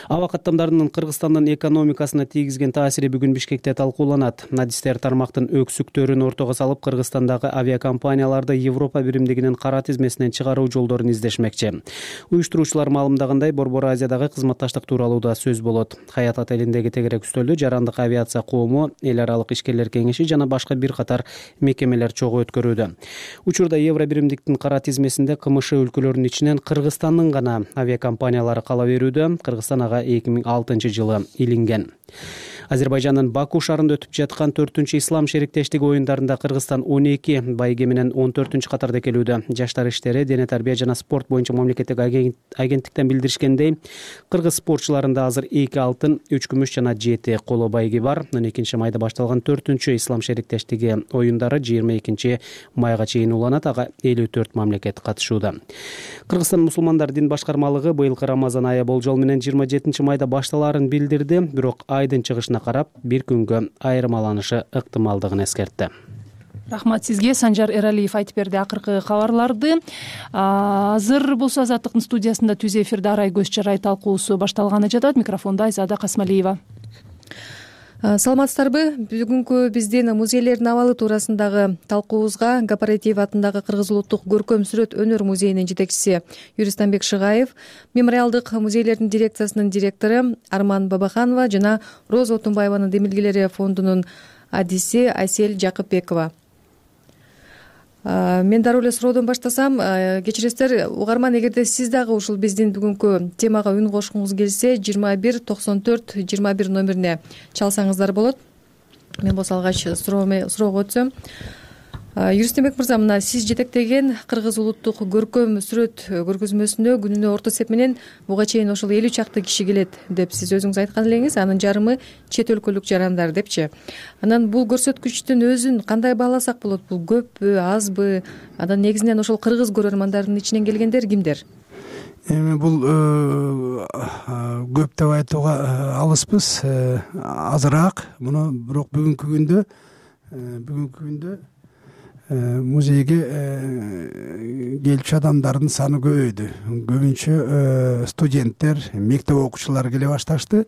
Аба каттамдарынын Кыргызстандын экономикасына тийгизген таасири бүгүн Бишкекте талкууланат. Адистер тармактын өксүктөрүн ортого салып, Кыргызстандагы авиакомпанияларды Европа биримдигинин кара тизмесинен чыгаруу жолдорун издешмекчи. Уюштуруучулар маалымдагандай, Борбор Азиядагы кызматташтык тууралуу да сөз болот. Хаят отелиндеги тегерек үстөлдү Жарандык авиация коому, эл аралык ишкерлер кеңеши жана башка бир катар мекемелер чогуу өткөрүүдө. Учурда Евро биримдиктин кара тизмесинде КМШ өлкөлөрүнүн ичинен Кыргызстандын гана авиакомпаниялары кала берүүдө. Кыргызстан ага 2006 жылы илинген. Азербайжандын Баку шаарында өтүп жаткан 4-чү ислам шериктештиги оюндарында Кыргызстан 12, байге менен 14-катарда келүүдө. Жаштар иштери, дене тарбия жана спорт боюнча мамлекеттик агенттиктен билдиришкендей, кыргыз спортчуларында азыр 2 алтын, 3 күмүш жана 7 коло байги бар. 12 майда башталган 4-чү ислам шериктештиги оюндары 22 майга чейин уланат. Ага 54 мамлекет катышууда. Кыргызстан мусулмандар дин башкармалыгы быйылкы Рамазан айы болжол менен 27 майда башталаарын билдирди, бирок айдын чыгышына карап бир күнгө айырмаланышы ыктымалдыгын эскертти. Рахмат сизге. Санжар Эралиев айтып берди акыркы кабарларды. Азыр болсо Азаттыктын студиясында түз эфирде арай көз жарай талкуусу башталганы жатат. Микрофондо Айзада Касмалиева. Саламатсыздарбы? Бүгүнкү биздин музейлердин абалы туурасындагы талкуубузга Кооператив атындагы Кыргыз улуттук көркөм сүрөт өнөр музейинин жетекчиси Юристанбек Шыгаев, мемориалдык музейлердин дирекциясынын директору Арман Бабаханова жана Роза Отунбаеванын демилгелери фондунун адиси Айсель Жакыпбекова. Мен дароо эле суроодон баштасам, кечиресиздер, угарман, эгерде сиз дагы ушул биздин бүгүнкү темага үн кошкуңуз келсе, 21 94 21 номерине чалсаңыздар болот. Мен болсо алгач суроого өтсөм. Юристанбек мырза, мына сиз жетектеген Кыргыз улуттук көркөм сүрөт көргөзмөсүнө күнүнө орто эсеп менен буга чейин ошол 50 чакты киши келет деп сиз өзүңүз айткан элеңиз. Анын жарымы чет өлкөлүк жарандар депчи. Анан бул көрсөткүчтүн өзүн кандай бааласак болот? Бул көппү, азбы? Анан негизинен ошол кыргыз көрөрмандардын ичинен келгендер кимдер? Эми бул көп деп айтууга алыспыз, азыраак. Муну бирок бүгүнкү күндө музейге келчү адамдардын саны көбөйдү. Көбүнчө студенттер, мектеп окуучулары келе башташты.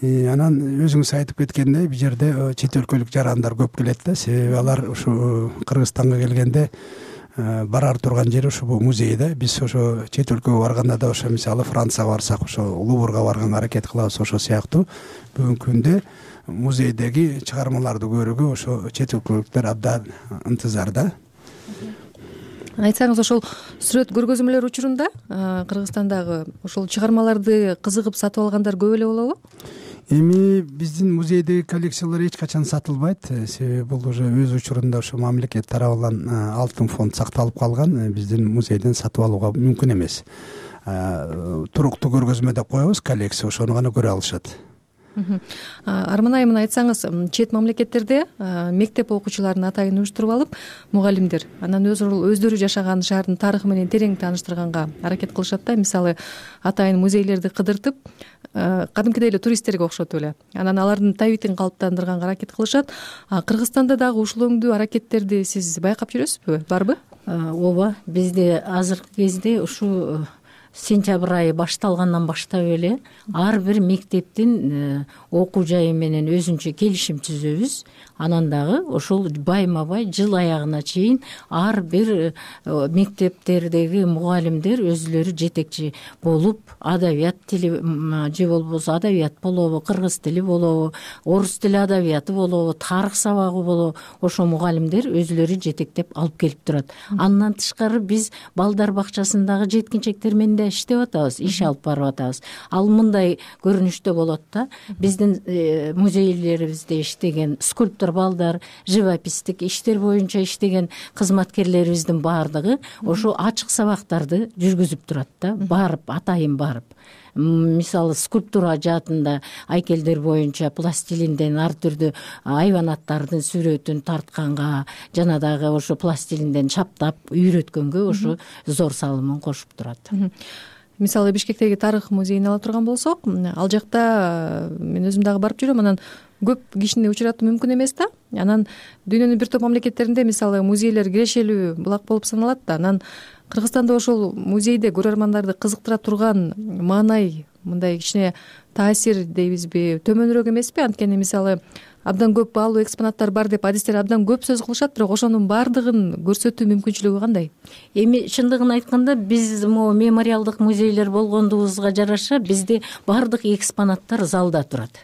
Анан өзүңүз айтып кеткендей, бул жерде чет өлкөлүк жарандар көп келет да. Себеби алар ушу Кыргызстанга келгенде барар турган жери ушу бул музей да. Биз ошо чет өлкөгө барганда да ошо мисалы Францияга барсак ошо Луврга барганга аракет кылабыз. Ошо сыяктуу бүгүнкү күндө музейдеги чыгармаларды көрүүгө ошо чет өлкөлүктөр абдан ынтызар да. Айтсаңыз, ошол сүрөт көргөзмөлөр учурунда Кыргызстандагы ошол чыгармаларды кызыгып сатып алгандар көп эле болобу? Эми биздин музейдеги коллекциялар эч качан сатылбайт. Себеби бул уже өз учурунда ошо мамлекет тарабынан алтын фонд сакталып калган. Биздин музейден сатып алууга мүмкүн эмес. Туруктуу көргөзмө деп коебуз, коллекция, ошону гана көрө алышат. Арман айым, айтсаңыз, чет мамлекеттерде мектеп окуучуларын атайын уюштуруп алып, мугалимдер анан өздөрү жашаган шаардын тарыхы менен терең тааныштырганга аракет кылышат да. Мисалы, атайын музейлерди кыдыртып, кадимкидей эле туристтерге окшотуп эле анан алардын табитин калыптандырганга аракет кылышат. Кыргызстанда дагы ушул өңдүү аракеттерди сиз байкап жүрөсүзбү, барбы? Ооба, бизде азыркы кезде ушу сентябрь айы башталгандан баштап эле ар бир мектептин окуу жайы менен өзүнчө келишим түзөбүз. Анан дагы ошол байма бай жыл аягына чейин ар бир мектептердеги мугалимдер өзүлөрү жетекчи болуп, адабият тили же болбосо адабият болобу, кыргыз тили болобу, орус тили адабияты болобу, тарых сабагы болобу, ошо мугалимдер өзүлөрү жетектеп алып келип турат. Андан тышкары биз балдар бакчасындагы жеткинчектер менен иштеп атабыз, иш алып барып атабыз. Ал мындай көрүнүштө болот да. Биздин музейлерибизде иштеген скульптор балдар, живописдик иштер боюнча иштеген кызматкерлерибиздин баардыгы ошо ачык сабактарды жүргүзүп турат да. Барып, атайын барып. Мисалы, скульптура жаатында айкелдер боюнча пластилинден ар түрдүү айванаттардын сүрөтүн тартканга жана дагы ошо пластилинден чаптап үйрөткөнгө ошо зор салымын кошуп турат. Мисалы, Бишкектеги тарых музейин ала турган болсок, ал жакта мен өзүм дагы барып жүрөм, анан көп кишини учуратуу мүмкүн эмес да. Анан дүйнөнүн бир топ мамлекеттеринде мисалы музейлер кирешелүү булак болуп саналат да. Анан Кыргызстанда ошол музейде көрөрмандарды кызыктыра турган маанай, мындай кичине таасир дейбизби, төмөнүрөөк эмеспи? Анткени мисалы абдан көп баалуу экспонаттар бар деп адистер абдан көп сөз кылышат, бирок ошонун баардыгын көрсөтүү мүмкүнчүлүгү кандай? Эми чындыгын айтканда, биз могу мемориалдык музейлер болгондугубузга жараша бизде баардык экспонаттар залда турат.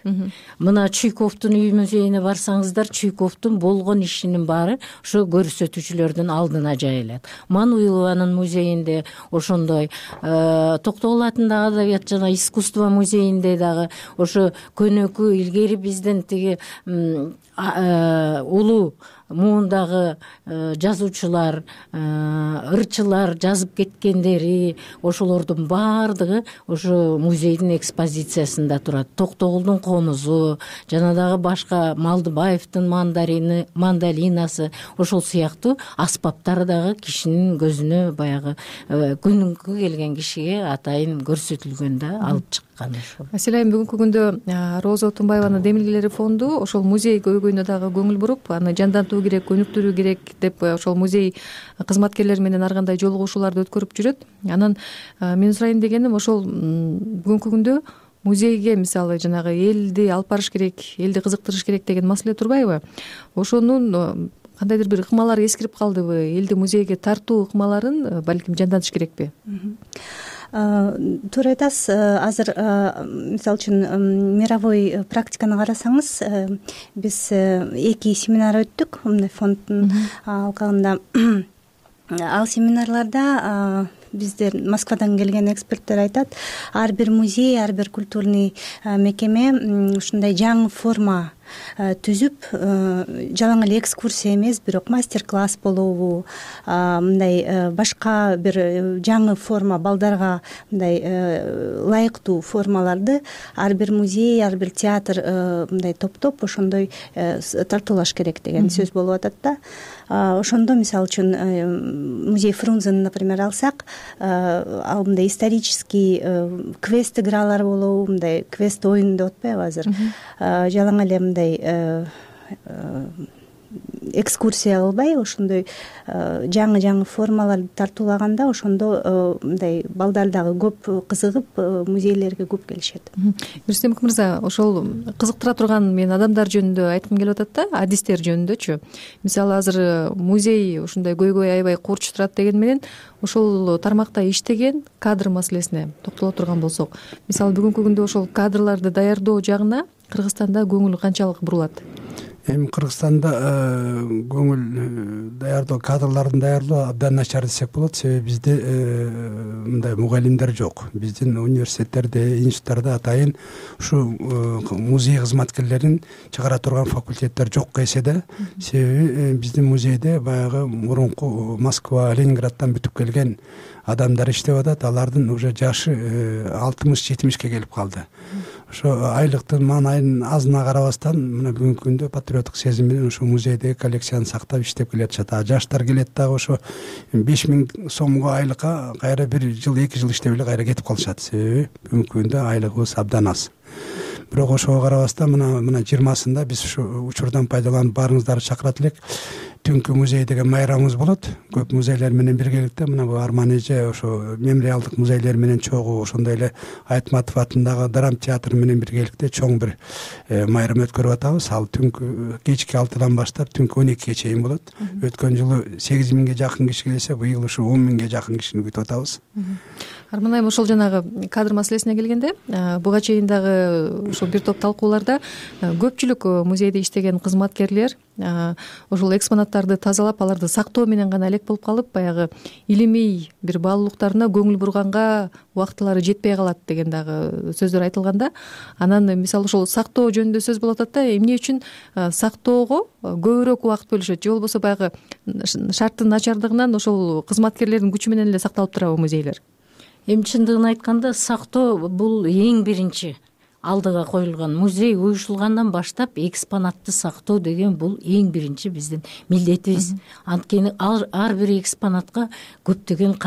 Мына Чуйковдун үй музейине барсаңыздар, Чуйковдун болгон ишинин баары ошо көрсөтүүчүлөрдүн алдына жайылат. Мануилованын музейинде ошондой, Токтогул атындагы адабият жана искусство музейинде дагы ошо көнөкү илгери биздин тиги улуу муундагы жазуучулар, ырчылар жазып кеткендери, ошолордун баардыгы ошо музейдин экспозициясында турат. Токтогулдун комузу, жана дагы башка Малдыбаевдин мандолинасы, ошол сыяктуу аспаптар дагы кишинин көзүнө баягы күнүмкү келген кишиге атайын көрсөтүлгөн да, алып чыккан ошол. Маселен, бүгүнкү күндө Роза Отунбаеванын Демилгелери фонду ошол музей көйгөйүнө дагы көңүл буруп, аны жандантуу керек, өнүктүрүү керек деп ошол музей кызматкерлери менен ар кандай жолугушууларды өткөрүп жүрөт. Анан мен сурайын дегеним, ошол бүгүнкү күндө музейге мисалы жанагы элди алып барыш керек, элди кызыктырыш керек деген маселе турбайбы? Ошонун кандайдыр бир ыкмалары эскирип калдыбы? Элди музейге тартуу ыкмаларын балким жандантыш керекпи? Туура айтасыз. Азыр мисалы үчүн мировой практиканы карасаңыз, биз 2 семинар өттүк мындай фонддун алкагында. Ал семинарларда биздер Москвадан келген эксперттер айтат, ар бир музей, ар бир культурный мекеме ушундай жаңы форма түзүп, жалаң эле экскурсия эмес, бирок мастер-класс болобу, мындай башка бир жаңы форма, балдарга мындай ылайыктуу формаларды ар бир музей, ар бир театр мындай топтоп ошондой тартуулаш керек деген сөз болуп атат да. Ошондо мисалы үчүн музей Фрунзени, например, алсак, ал мындай исторический квест игралар болобу, мындай квест оюн деп атпайбы азыр? Жалаң эле мындай экскурсия кылбай ошондой жаңы формаларды тартуулаганда ошондо мындай балдар дагы көп кызыгып музейлерге көп келишет. Рустембек мырза, ошол кызыктыра турган мен адамдар жөнүндө айткым келип атат да, адистер жөнүндөчү. Мисалы азыр музей ушундай көйгөй аябай курч турат деген менен ошол тармакта иштеген кадр маселесине токтоло турган болсок, мисалы бүгүнкү күндө ошол кадрларды даярдоо жагына Кыргызстанда көңүл канчалык бурулат? Эми Кыргызстанда көңүл даярдоо, кадрлардын даярдоо абдан начар десек болот. Себеби бизде мындай мугалимдер жок. Биздин университеттерде, институттарда атайын ушу музей кызматкерлерин чыгара турган факультеттер жок эсе да. Себеби биздин музейде баягы мурунку Москва, Ленинграддан бүтүп келген адамдар иштеп атат. Алардын уже жашы 60-70ке келип калды. Ошо айлыктын маанайын азына карабастан мына бүгүнкү күндө патриоттук сезим менен ошо музейдеги коллекцияны сактап иштеп келатышат. Жаштар келет дагы ошо 5000 сомго айлыкка кайра 1 жыл 2 жыл иштеп эле кайра кетип калышат. Себеби бүгүнкү күндө айлыгыбыз абдан аз. Бирок ошого карабастан мына 20-сында биз ушу учурдан пайдаланып баарыңыздарды чакырат элек. Түнкү музей деген майрамыбыз болот. Көп музейлер менен биргеликте мына бу Арман эже ошо мемориалдык музейлер менен чогуу, ошондой эле Айтматов атындагы драма театр менен биргеликте чоң бир майрам өткөрүп атабыз. Ал түнкү кечки 6-дан баштап түнкү 12ге чейин болот. Өткөн жылы 8000ге жакын киши келсе, быйыл ушу 10000ге жакын кишини күтүп атабыз. Арман айым, ошол жанагы кадр маселесине келгенде, буга чейин дагы ошол бир топ талкууларда көпчүлүк музейде иштеген кызматкерлер ошол экспонаттарды тазалап, аларды сактоо менен гана элек болуп калып, баягы илимий бир баалуулуктарына көңүл бурганга убактылары жетпей калат деген дагы сөздөр айтылганда, анан мисалы ошол сактоо жөнүндө сөз болуп атат да, эмне үчүн сактоого көбүрөөк убакыт бөлүшөт, же болбосо баягы шарттын начардыгынан ошол кызматкерлердин күчү менен эле сакталып турабы музейлер? Эми чындыгын айтканда сактоо бул эң биринчи алдыга коюлган. Музей уюшулгандан баштап экспонатты сактоо деген бул эң биринчи биздин милдетибиз. Анткени ар бир экспонатка көптөгөн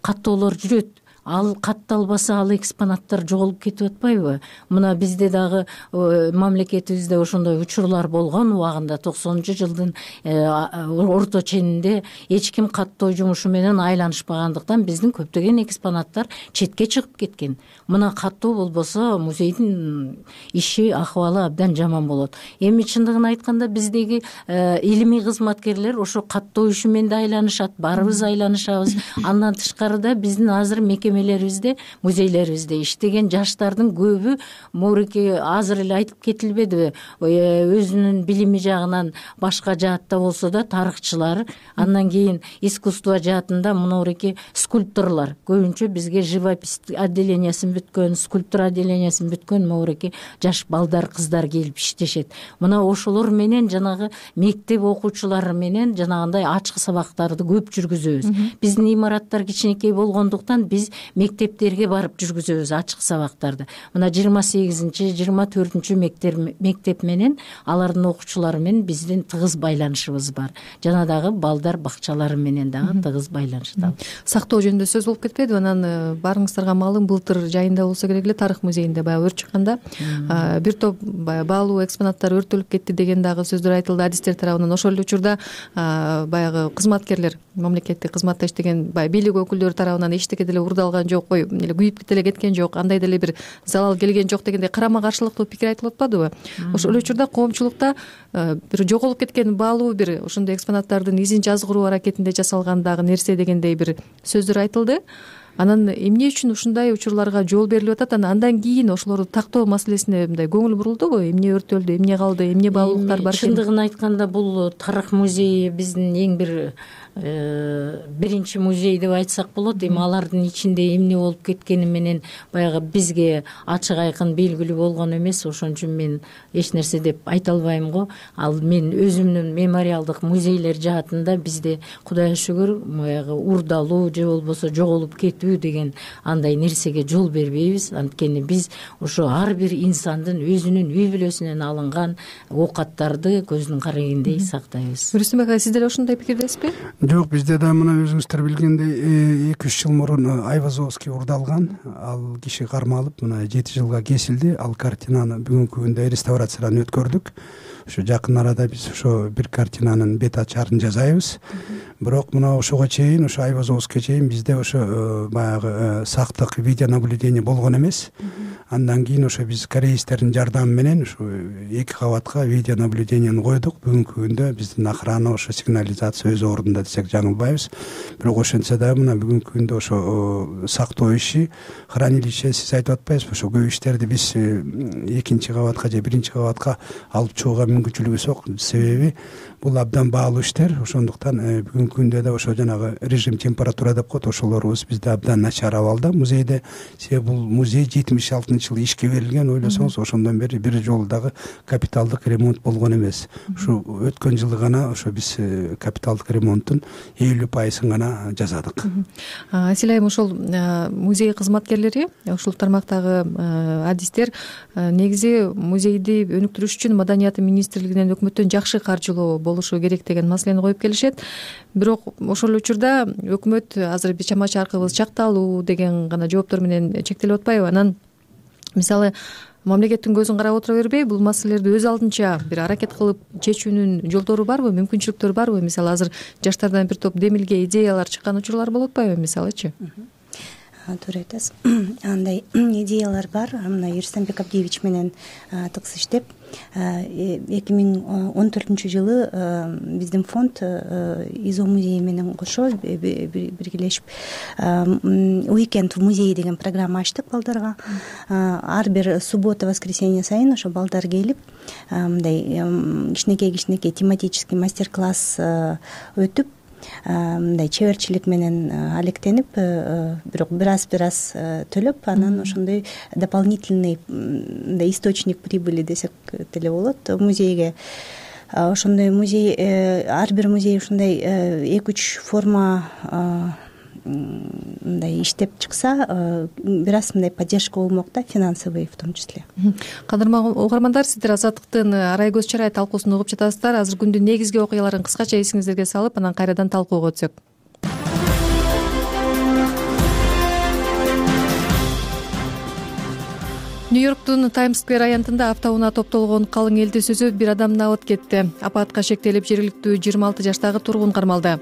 каттоолор жүрөт. Ал катталбаса ал экспонаттар жоголуп кетип атпайбы? Мына бизде дагы мамлекетибизде ошондой учурлар болгон убагында 90-жылдын орто ченинде эч ким каттоо жумушу менен айланышпагандыктан биздин көптөгөн экспонаттар четке чыгып кеткен. Мына каттоо болбосо музейдин иши, акыбалы абдан жаман болот. Эми чындыгын айтканда биздеги илимий кызматкерлер ошо каттоо иши менен да айланышат, баарыбыз айланышабыз. Андан тышкарыда биздин азыр мекемелерибизде, музейлерибизде иштеген жаштардын көбү моуреке азыр эле айтып кетилбедиби, өзүнүн билими жагынан башка жаатта болсо да тарыхчылар, андан кийин искусство жаатында моуреке скульпторлор, көбүнчө бизге живопись отделениясын бүткөн, скульптура отделениясын бүткөн моуреке жаш балдар, кыздар келип иштешет. Мына ошолор менен жанагы мектеп окуучулары менен жанагындай ачык сабактарды көп жүргүзөбүз. Биздин имараттар кичинекей болгондуктан биз мектептерге барып жүргүзөбүз ачык сабактарды. Мына 28-чи, 24-чү мектеп менен алардын окуучулары менен биздин тыгыз байланышыбыз бар. Жана дагы балдар бакчалары менен дагы тыгыз байланыштабыз. Сактоо жөнүндө сөз болуп кетпедиби? Анан баарыңыздарга маалым, былтыр жайында болсо керек эле тарых музейинде баягы өрт чыкканда бир топ баалуу экспонаттар өрттөлүп кетти деген дагы сөздөр айтылды адистер тарабынан. Ошол эле учурда баягы кызматкерлер, мамлекеттик кызматта иштеген бийлик өкүлдөрү тарабынан эчтеке деле урдалган жок, эле күйүп деле кеткен жок, андай деле бир залал келген жок дегендей карама каршылыктуу пикир айтылып атпадыбы? Ошол учурда коомчулукта бир жоголуп кеткен баалуу бир ошондой экспонаттардын изин жазгыруу аракетинде жасалгандагы нерсе дегендей бир сөздөр айтылды. Анан эмне үчүн ушундай учурларга жол берилип атат? Андан кийин ошолорду тактоо маселесине мындай көңүл бурулдубу? Эмне өрттөлдү, эмне калды, эмне баалуулуктар бар экен? Чындыгын айтканда бул тарых музейи биздин эң бир биринчи музей деп айтсак болот. Эми алардын ичинде эмне болуп кеткени менен баягы бизге ачык айкын белгилүү болгон эмес. Ошон үчүн мен эч нерсе деп айта албайм го. Ал мен өзүмдүн мемориалдык музейлер жаатында бизде Кудайга шүгүр баягы урдалуу же болбосо жоголуп кетүү деген андай нерсеге жол бербейбиз. Анткени биз ошо ар бир инсандын өзүнүн үй бүлөсүнөн алынган оокаттарды көздүн карегиндей сактайбыз. Рүстөм ага, сиз деле ошондой пикирдесизби? Жок, бизде да мына өзүңүздөр билгендей 2-3 жыл мурун Айвазовский урдалган, ал киши кармалып мына 7 жылга кесилди. Ал картинаны бүгүнкү күндө реставрациядан өткөрдүк. Ошо жакын арада биз ошо бир картинанын бет ачарын жасайбыз. Бирок мына ошого чейин, ошо Айвазовскийге чейин бизде ошо баягы сактык видеонаблюдение болгон эмес. Андан кийин ошо биз кореецтердин жардамы менен ошо 2 кабатка видеонаблюдениени койдук. Бүгүнкү күндө биздин охрана ошо сигнализация өз ордунда десек жаңылбайбыз. Бирок ошентсе дагы мына бүгүнкү күндө ошо сактоо иши, хранилище сиз айтып атпайсызбы, ошо көп иштерди биз 2 кабатка же 1 кабатка алып чыгууга мүмкүнчүлүгүбүз жок. Себеби бул абдан баалуу иштер. Ошондуктан бүгүнкү күндө да ошо жанагы режим температура деп коет, ошолорубуз бизде абдан начар абалда музейде. Себеби бул музей 76-жылы ишке берилген. Ойлосоңуз, ошондон бери бир жолу дагы капиталдык ремонт болгон эмес. Ушу өткөн жылы гана ошо биз капиталдык ремонттун 50% гана жасадык. Асил айым, ошол музей кызматкерлери, ушул тармактагы адистер негизи музейди өнүктүрүш үчүн Маданият министрлигинен өкмөттөн жакшы каржылоо болушу керек деген маселени коюп келишет. Бирок ошол учурда өкмөт азыр биз чама чаркыбыз чакталуу деген гана жооптор менен чектелип атпайбы? Анан мисалы мамлекеттин көзүн карап отура бербей, бул маселелерди өз алдынча бир аракет кылып чечүүнүн жолдору барбы, мүмкүнчүлүктөрү барбы? Мисалы азыр жаштардан бир топ демилге идеялар чыккан учурлар болуп атпайбы, мисалычы? Туура айтасыз. Андай идеялар бар. Мына Ерсанбек Абдиевич менен тыгыз иштеп 2014-жылы биздин фонд ИЗО музейи менен кошо биргелешип уикенд в музее деген программа ачтык балдарга. Ар бир суббота, воскресенье сайын ошо балдар келип мындай кичинекей тематический мастер-класс өтүп, мындай чеберчилик менен алектенип, бирок бир аз төлөп, анан ошондой дополнительный источник прибыли десек деле болот музейге. Ошондой музей, ар бир музей ушундай 2-3 форма мындай иштеп чыкса, бир аз мындай поддержка болмок да, финансовый в том числе. Кадырман угармандар, сиздер Азаттыктын Арай көз чарай талкуусун угуп жатасыздар. Азыр күндүн негизги окуяларын кыскача эсиңиздерге салып, анан кайрадан талкууга өтсөк. Нью-Йорктун Таймс-сквер аянтында аптабына топтолгон калың элди сүзүп, бир адам абыт кетти. Апатка шектелип, жергиликтүү 26 жаштагы тургун кармалды.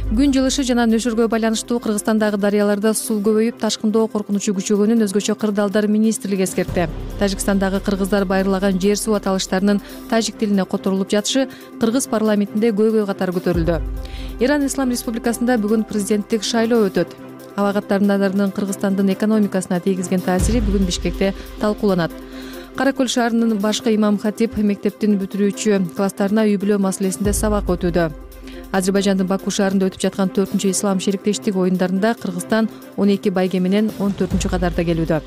Күн жылышы жана нөшөргө байланыштуу Кыргызстандагы дарыяларда суу көбөйүп, ташкындоо коркунучу күчөгөнүн өзгөчө кырдаалдар министрлиги эскертти. Тажикстандагы кыргыздар байырлаган жер суу аталыштарынын тажик тилине которулуп жатышы кыргыз парламентинде көйгөй катары көтөрүлдү. Иран Ислам Республикасында бүгүн президенттик шайлоо өтөт. Аба каттарынын Кыргызстандын экономикасына тийгизген таасири бүгүн Бишкекте талкууланат. Кара Көл шаарынын башкы имам-хатип мектептин бүтүрүүчү класстарына үй-бүлө маселесинде сабак өтүүдө. Азербайжандын Баку шаарында өтүп жаткан 4-чү ислам шериктештик оюндарында Кыргызстан 12 байге менен 14-катарда келүүдө.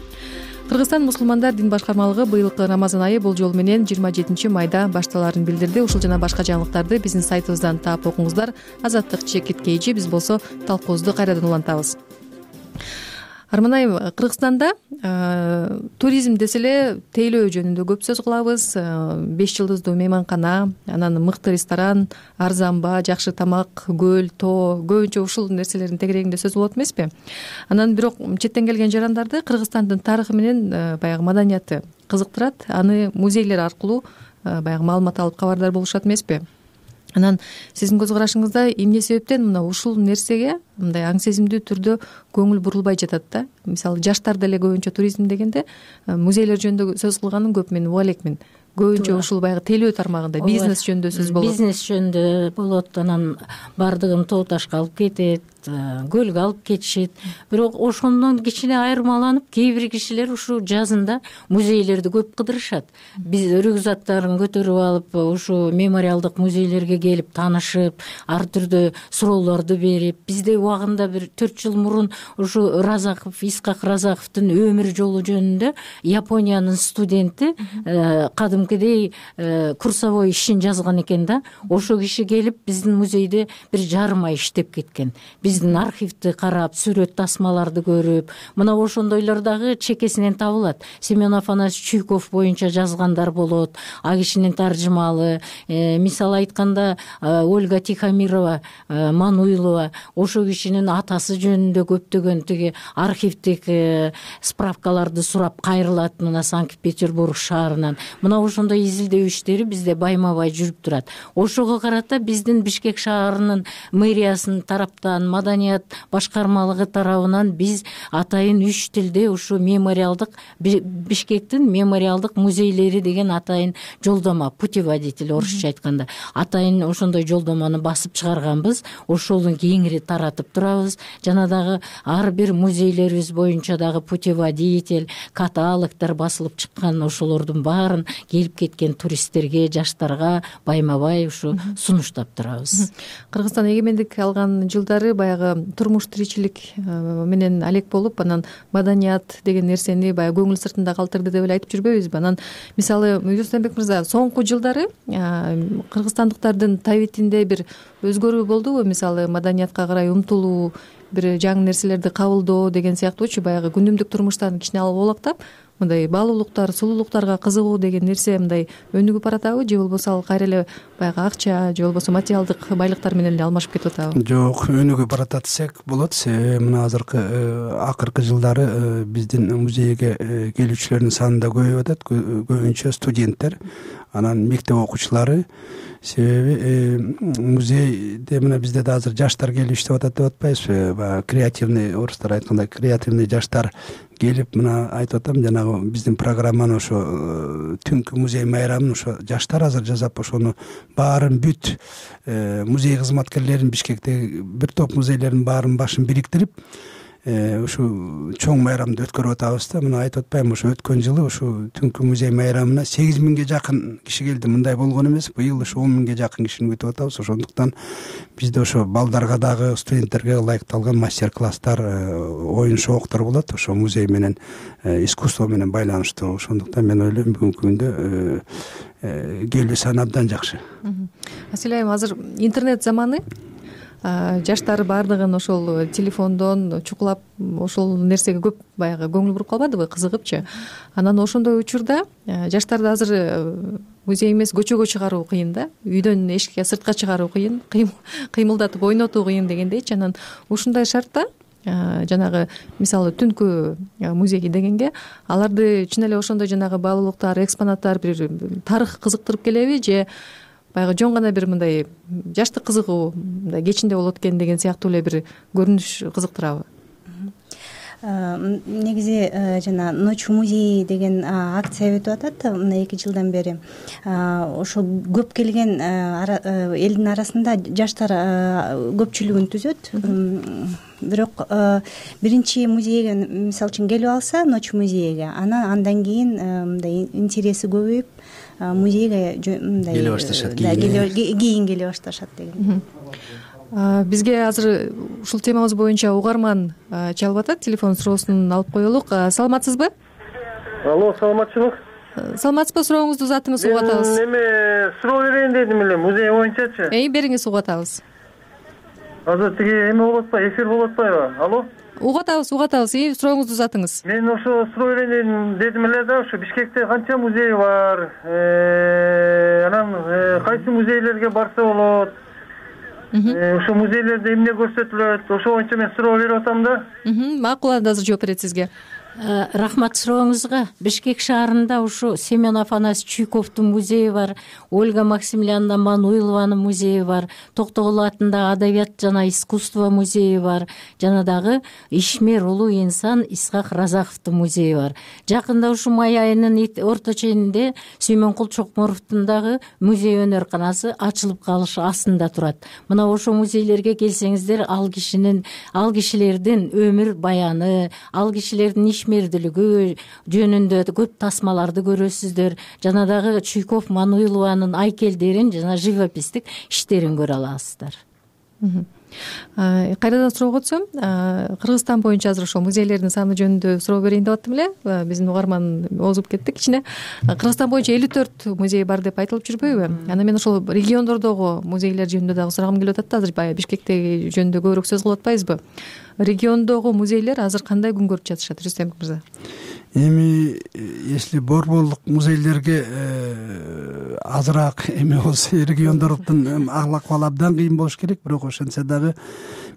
Кыргызстан мусулмандар дин башкармалыгы быйылкы Рамазан айы болжол менен 27 майда башталарын билдирди. Ушул жана башка жаңылыктарды биздин сайтыбыздан таап окуңуздар. Азаттык Чекит Кейжи, биз болсо талкуубузду кайрадан улантабыз. Арман айым, Кыргызстанда туризм десе эле тейлөө жөнүндө көп сөз кылабыз. 5 жылдыздуу мейманкана, анан мыкты ресторан, арзан баа, жакшы тамак, көл, тоо, көбүнчө ушул нерселердин тегерегинде сөз болот эмеспи? Анан бирок четтен келген жарандарды Кыргызстандын тарыхы менен баягы маданияты кызыктырат. Аны музейлер аркылуу баягы маалымат алып кабардар болушат эмеспи? Анан сиздин көз карашыңызда эмне себептен мына ушул нерсеге мындай аң сезимдүү түрдө көңүл бурулбай жатат да? Мисалы жаштар деле көбүнчө туризм дегенде музейлер жөнүндө сөз кылганын көп мен уга элекмин. Көбүнчө ушул баягы тейлөө тармагында бизнес жөнүндө сөз болот. Бизнес жөнүндө болот, анан бардыгын тоо ташка алып кетет, көлгө алып кетишет. Бирок ошондон кичине айырмаланып, кээ бир кишилер ушу жазында музейлерди көп кыдырышат. Биз рюкзактарын көтөрүп алып, ушу мемориалдык музейлерге келип таанышып, ар түрдүү суроолорду берип, бизде убагында бир 4 жыл мурун ушу Исхак Разаковдун өмүр жолу жөнүндө Япониянын студенти кадимкидей курсовой ишин жазган экен да. Ошо киши келип биздин музейде бир жарым ай иштеп кеткен. Биз биздин архивди карап, сүрөт тасмаларды көрүп, мына ошондойлор дагы чекесинен табылат. Семен Афанасьевич Чуйков боюнча жазгандар болот, а кишинин таржымалы. Мисалы айтканда Ольга Тихомирова, Мануилова, ошо кишинин атасы жөнүндө көптөгөн тиги архивдик справкаларды сурап кайрылат мына Санкт-Петербург шаарынан. Мына ошондой изилдөө иштери бизде байма-бай жүрүп турат. Ошого карата биздин Бишкек шаарынын мэриясынын тараптан, маданият башкармалыгы тарабынан биз атайын 3 тилде ушу мемориалдык Бишкектин мемориалдык музейлери деген атайын жолдома, путеводитель орусча айтканда, атайын ошондой жолдоманы басып чыгарганбыз. Ошолун кеңири таратып турабыз. Жана дагы ар бир музейлерибиз боюнча дагы путеводитель, каталогдор басылып чыккан. Ошолордун баарын келип кеткен туристтерге, жаштарга байма-бай ушу сунуштап турабыз. Кыргызстан эгемендик алган жылдары баягы турмуш тиричилик менен алек болуп, анан маданият деген нерсени баягы көңүл сыртында калтырды деп эле айтып жүрбөйбүзбү? Анан мисалы Юстенбек мырза, соңку жылдары кыргызстандыктардын табитинде бир өзгөрүү болдубу? Мисалы маданиятка карай умтулуу, бир жаңы нерселерди кабылдоо деген сыяктуучу баягы күнүмдүк турмуштан кичине алып олактап, мындай баалуулуктар, сулуулуктарга кызыгуу деген нерсе мындай өнүгүп баратабы, же болбосо ал кайра эле баягы акча же болбосо материалдык байлыктар менен эле алмашып кетип атабы? Жок, өнүгүп баратат десек болот. Мына акыркы жылдары биздин музейге келүүчүлөрдүн саны да көбөйүп атат, көбүнчө студенттер, анан мектеп окуучулары. Себеби музейде мына бизде да азыр жаштар келип иштеп атат деп атпайбызбы? Баягы креативный, орустар айткандай креативный жаштар келип, мына айтып атам, жанагы биздин программаны ошо түнкү музей майрамын ошо жаштар азыр жасап, ошону баарын бүт музей кызматкерлерин, Бишкектеги бир топ музейлердин баарын башын бириктирип ушу чоң майрамды өткөрүп атабыз да. Мына айтып атпаймынбы, ошо өткөн жылы ушу түнкү музей майрамына 8000ге жакын киши келди. Мындай болгон эмес. Быйыл ушу 10.000ге жакын кишини күтүп атабыз. Ошондуктан бизде ошо балдарга дагы, студенттерге ылайыкталган мастер-класстар, оюн шооктор болот. Ошо музей менен, искусство менен байланыштуу. Ошондуктан мен ойлойм бүгүнкү күндө келүү саны абдан жакшы. Асель айым, азыр интернет заманы. Жаштар баардыгын ошол телефондон чукулап ошол нерсеге көп баягы көңүл буруп калбадыбы, кызыгыпчы. Анан ошондой учурда жаштарды азыр музей эмес көчөгө чыгаруу кыйын да, үйдөн эшикке сыртка чыгаруу кыйын, кыймылдатып ойнотуу кыйын дегендейчи. Анан ушундай шартта жанагы мисалы түнкү музей дегенге аларды чын эле ошондой жанагы баалуулуктар, экспонаттар, бир тарых кызыктырып келеби, же баягы жөн гана бир мындай жаштык кызыгуу мындай кечинде болот экен деген сыяктуу эле бир көрүнүш кызыктырабы? Негизи жана Ночь музеи деген акция өтүп атат мына 2 жылдан бери. Ошол көп келген элдин арасында жаштар көпчүлүгүн түзөт. Бирок биринчи музейге мисалы үчүн келип алса, Ночь музейге, андан кийин мындай интереси көбөйүп музейге мындай келе башташат, кийин келе башташат деген. Бизге азыр ушул темабыз боюнча угарман чалып атат, телефон суроосун алып коелук. Саламатсызбы? Алло, саламатчылык. Саламатсызбы, сурооңузду узатыңыз, угуп атабыз. Эме суроо берейин дедим эле музей боюнчачы. Бериңиз, угуп атабыз. Азыр тиги эме болот атпайбы, эфир болот атпайбы? Алло? Угуп атабыз, сурооңузду узатыңыз. Мен ошо суроо берейин дедим эле да, ошо Бишкекте канча музей бар? Анан кайсы музейлерге барса болот? Ошо музейлерде эмне көрсөтүлөт? Ошо боюнча мен суроо берип атам да. Макул, анда азыр жооп берет сизге. Рахмат сурооңузга. Бишкек шаарында ушу Семен Афанасьевич Чуйковдун музейи бар, Ольга Максимилиановна Мануилованын музейи бар, Токтогул атындагы адабият жана искусство музейи бар, жана дагы ишмер улуу инсан Исхак Разаковдун музейи бар. Жакында ушу май айынын орто ченинде Сүймөнкул Чокморовдун дагы музей өнөрканасы ачылып калышы астында турат. Мына ошо музейлерге келсеңиздер, ал кишилердин өмүр баяны, ал кишилердин ишмердүүлүгү жөнүндө көп тасмаларды көрөсүздөр. Жана дагы Чуйков, Мануилованын айкелдерин жана живописдик иштерин көрө аласыздар. Кайрадан суроого өтсөм, Кыргызстан боюнча азыр ошол музейлердин саны жөнүндө суроо берейин деп аттым эле. Биздин угарман озуп кетти кичине. Кыргызстан боюнча 54 музей бар деп айтылып жүрбөйбү? Анан мен ошол региондордогу музейлер жөнүндө дагы сурагым келип атат да. Азыр баягы Бишкектеги жөнүндө көбүрөөк сөз кылып атпайбызбы? Региондогу музейлер азыр кандай күн көрүп жатышат, Рүстем мырза? Эми если борборлук музейлерге азыраак эме болсо, региондордун ахыл-акыбалы абдан кыйын болуш керек. Бирок ошентсе дагы,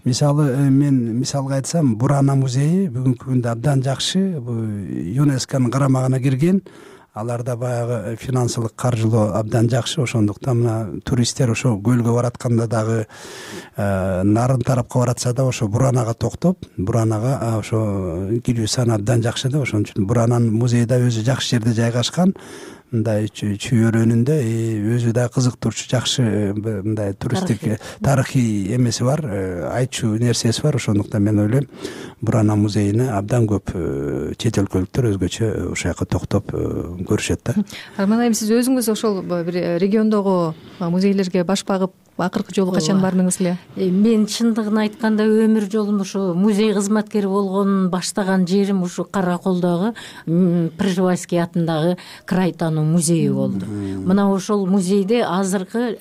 мисалы мен мисалга айтсам, Бурана музейи бүгүнкү күндө абдан жакшы. Бул ЮНЕСКОнун карамагына кирген. Аларда баягы финансылык, каржылоо абдан жакшы. Ошондуктан мына туристтер ошо көлгө баратканда дагы, нарын тарапка баратса да ошо Буранага токтоп, Буранага ошо кирүү саны абдан жакшы да. Ошон үчүн Бурананын музейи да өзү жакшы жерде жайгашкан. Мындай чүйөрөнүндө өзү да кызыктырчу, жакшы мындай туристтик тарыхый эмеси бар, айтчу нерсеси бар. Ошондуктан мен ойлойм, Бурана музейине абдан көп чет өлкөлүктөр өзгөчө ошол жака токтоп көрүшөт да. Арман айым, сиз өзүңүз ошол бир региондогу музейлерге баш багып акыркы жолу качан бардыңыз эле? Мен чындыгын айтканда өмүр жолум ушу музей кызматкери болгонун баштаган жерим ушу Кара Колдогу Пржевальский атындагы край таануу музейи болду. Мына ошол музейде азыркы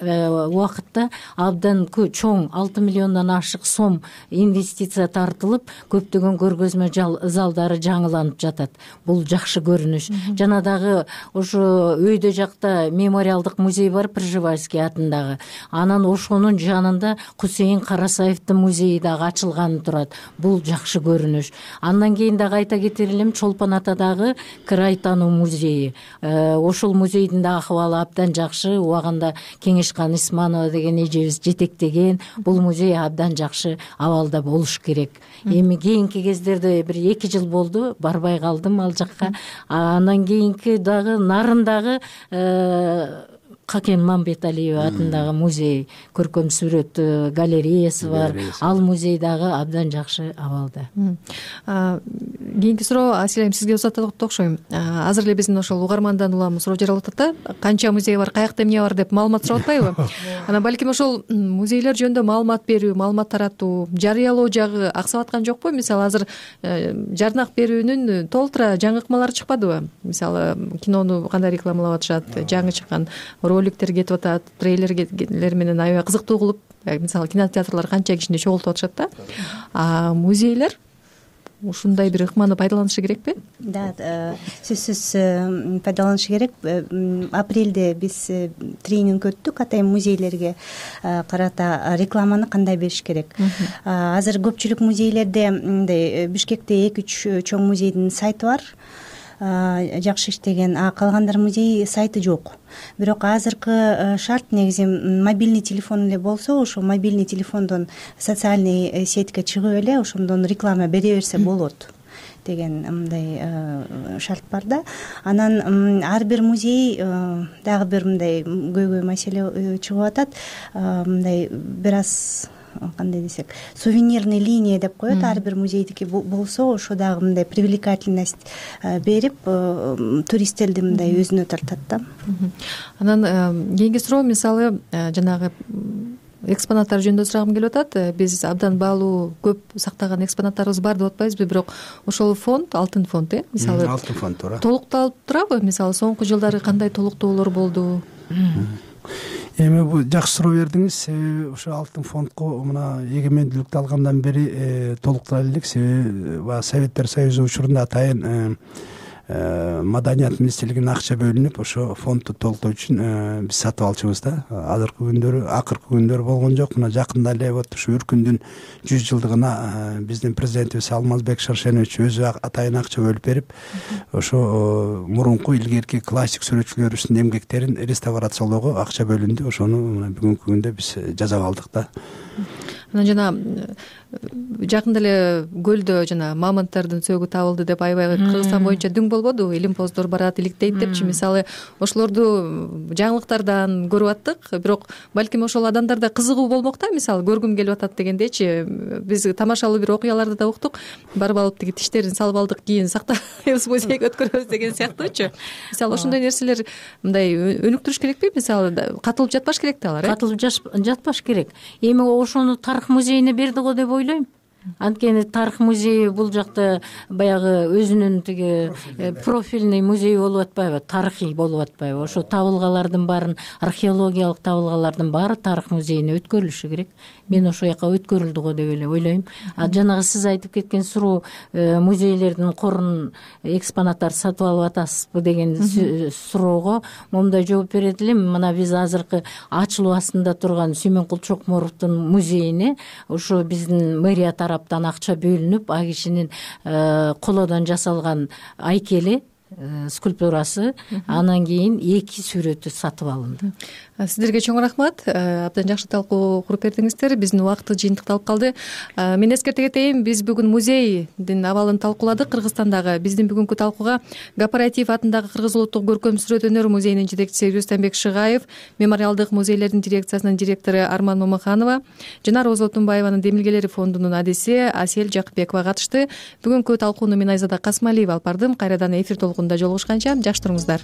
убакытта абдан чоң 6 миллиондон ашык сом инвестиция тартылып, көптөгөн көргөзмө залдары жаңыланып жатат. Бул жакшы көрүнүш. Жана дагы ошо өйдө жакта мемориалдык музей бар, Пржевальский атындагы. Анан ошонун жанында Кусейин Карасаевдин музейи дагы ачылганы турат. Бул жакшы көрүнүш. Андан кийин дагы айта кетер элем, Чолпон Атадагы край таануу музейи. Ошол музейдин да акыбалы абдан жакшы. Убагында Кеңешкан Исманова деген эжебиз жетектеген. Бул музей абдан жакшы абалда болуш керек. Эми кийинки кездерде бир 2 жыл болду, барбай калдым ал жакка. Андан кийинки дагы Нарындагы Какен Мамбеталиев атындагы музей, көркөм сүрөт галереясы бар. Ал музей дагы абдан жакшы абалда. Кийинки суроо Асилем сизге узатат окшойм. Азыр эле биздин ошол угармандан улам суроо жаралып атат да. Канча музей бар, каякта эмне бар деп маалымат сурап атпайбы? Анан балким ошол музейлер жөнүндө маалымат берүү, маалымат таратуу, жарыялоо жагы аксап аткан жокпу? Мисалы азыр жарнак берүүнүн толтура жаңы ыкмалары чыкпадыбы? Мисалы кинону кандай рекламалап атышат, жаңы чыккан роликтер кетип атат, трейлерлер менен аябай кызыктуу кылып, мисалы кинотеатрлар канча кишини чогултуп атышат да. Музейлер ушундай бир ыкманы пайдаланышы керекпи? Да, сөзсүз пайдаланышы керек. Апрелде биз тренинг өттүк, атайын музейлерге карата рекламаны кандай бериш керек. Азыр көпчүлүк музейлерде мындай Бишкекте 2-3 чоң музейдин сайты бар. Жакшы иштеген, калгандар музей сайты жок. Бирок азыркы шарт негизи мобильный телефон эле болсо, ошо мобильный телефондон социальный сетьке чыгып эле ошондон реклама бере берсе болот деген мындай шарт бар да. Анан ар бир музей дагы бир мындай көйгөй маселе чыгып атат. Мындай бир аз кандай десек, сувенирный линия деп коет, ар бир музейдики болсо ошо дагы мындай привлекательность берип, туристтерди мындай өзүнө тартат да. Анан кийинки суроо, мисалы жанагы экспонаттар жөнүндө сурагым келип атат. Биз абдан баалуу көп сактаган экспонаттарыбыз бар деп атпайбызбы, бирок ошол фонд, алтын фонд, мисалы алтын фонд туура толукталып турабы? Мисалы соңку жылдары кандай толуктоолор болду? Эми бул жакшы суроо бердиңиз. Себеби ошо алтын фондко мына эгемендүүлүктү алгандан бери толуктала элек. Себеби Советтер Союзу учурунда атайын маданият министрлигинин акча бөлүнүп, ошо фондду толуктоо үчүн биз сатып алчубуз да. Азыркы күндөрү, акыркы күндөрү болгон жок. Мына жакында эле вот ушу Үркүндүн 100 жылдыгына биздин президентибиз Алмазбек Шаршенович өзү атайын акча бөлүп берип, ошо мурунку илгерки классик сүрөтчүлөрүбүздүн эмгектерин реставрациялоого акча бөлүндү. Ошону мына бүгүнкү күндө биз жасап алдык да. Анан жана жакында эле көлдө жана мамонттардын сөөгү табылды деп аябай Кыргызстан боюнча дүң болбодубу, илимпоздор барат, иликтейт депчи. Мисалы ошолорду жаңылыктардан көрүп аттык, бирок балким ошол адамдарда кызыгуу болмок да, мисалы көргүм келип атат дегендейчи. Биз тамашалуу бир окуяларды да уктук, барып алып тиги тиштерин салып алдык, кийин сактайбыз, музейге өткөрөбүз деген сыяктуучу. Мисалы ошондой нерселер мындай өнүктүрүш керекпи? Мисалы катылып жатпаш керек да алар, катылып жатпаш керек. Эми ошону тарых музейине берди го деп ойлойм. Анткени тарых музейи бул жакта баягы өзүнүн тиги профильный музей болуп атпайбы, тарыхый болуп атпайбы. Ошо табылгалардын баарын, археологиялык табылгалардын баары тарых музейине өткөрүлүшү керек. Мен ошол жака өткөрүлдү го деп эле ойлойм. Жанагы сиз айтып кеткен суроо, музейлердин корун экспонаттар сатып алып атасызбы деген суроого момундай жооп берет элем. Мына биз азыркы ачылуу астында турган Сүймөнкул Чокморовдун музейине ошо биздин мэрия тараптан акча бөлүнүп, а кишинин колодон жасалган айкели, скульптурасы, анан кийин 2 сүрөтү сатып алынды. Сиздерге чоң рахмат. Абдан жакшы талкуу куруп бердиңиздер. Биздин убакыт жыйынтыкталып калды. Мен эскерте кетейин, биз бүгүн музейдин абалын талкууладык Кыргызстандагы. Биздин бүгүнкү талкууга Гапараев атындагы Кыргыз улуттук көркөм сүрөт өнөр музейинин жетекчиси Рүстөмбек Шыгаев, мемориалдык музейлердин дирекциясынын директору Арман Момоханова жана Роза Отунбаеванын Демилгелери фондунун адиси Асель Жакыпбекова катышты. Бүгүнкү талкууну мен Айзада Касмалиева алып бардым. Кайрадан эфир толкунунда жолугушканча жакшы туруңуздар.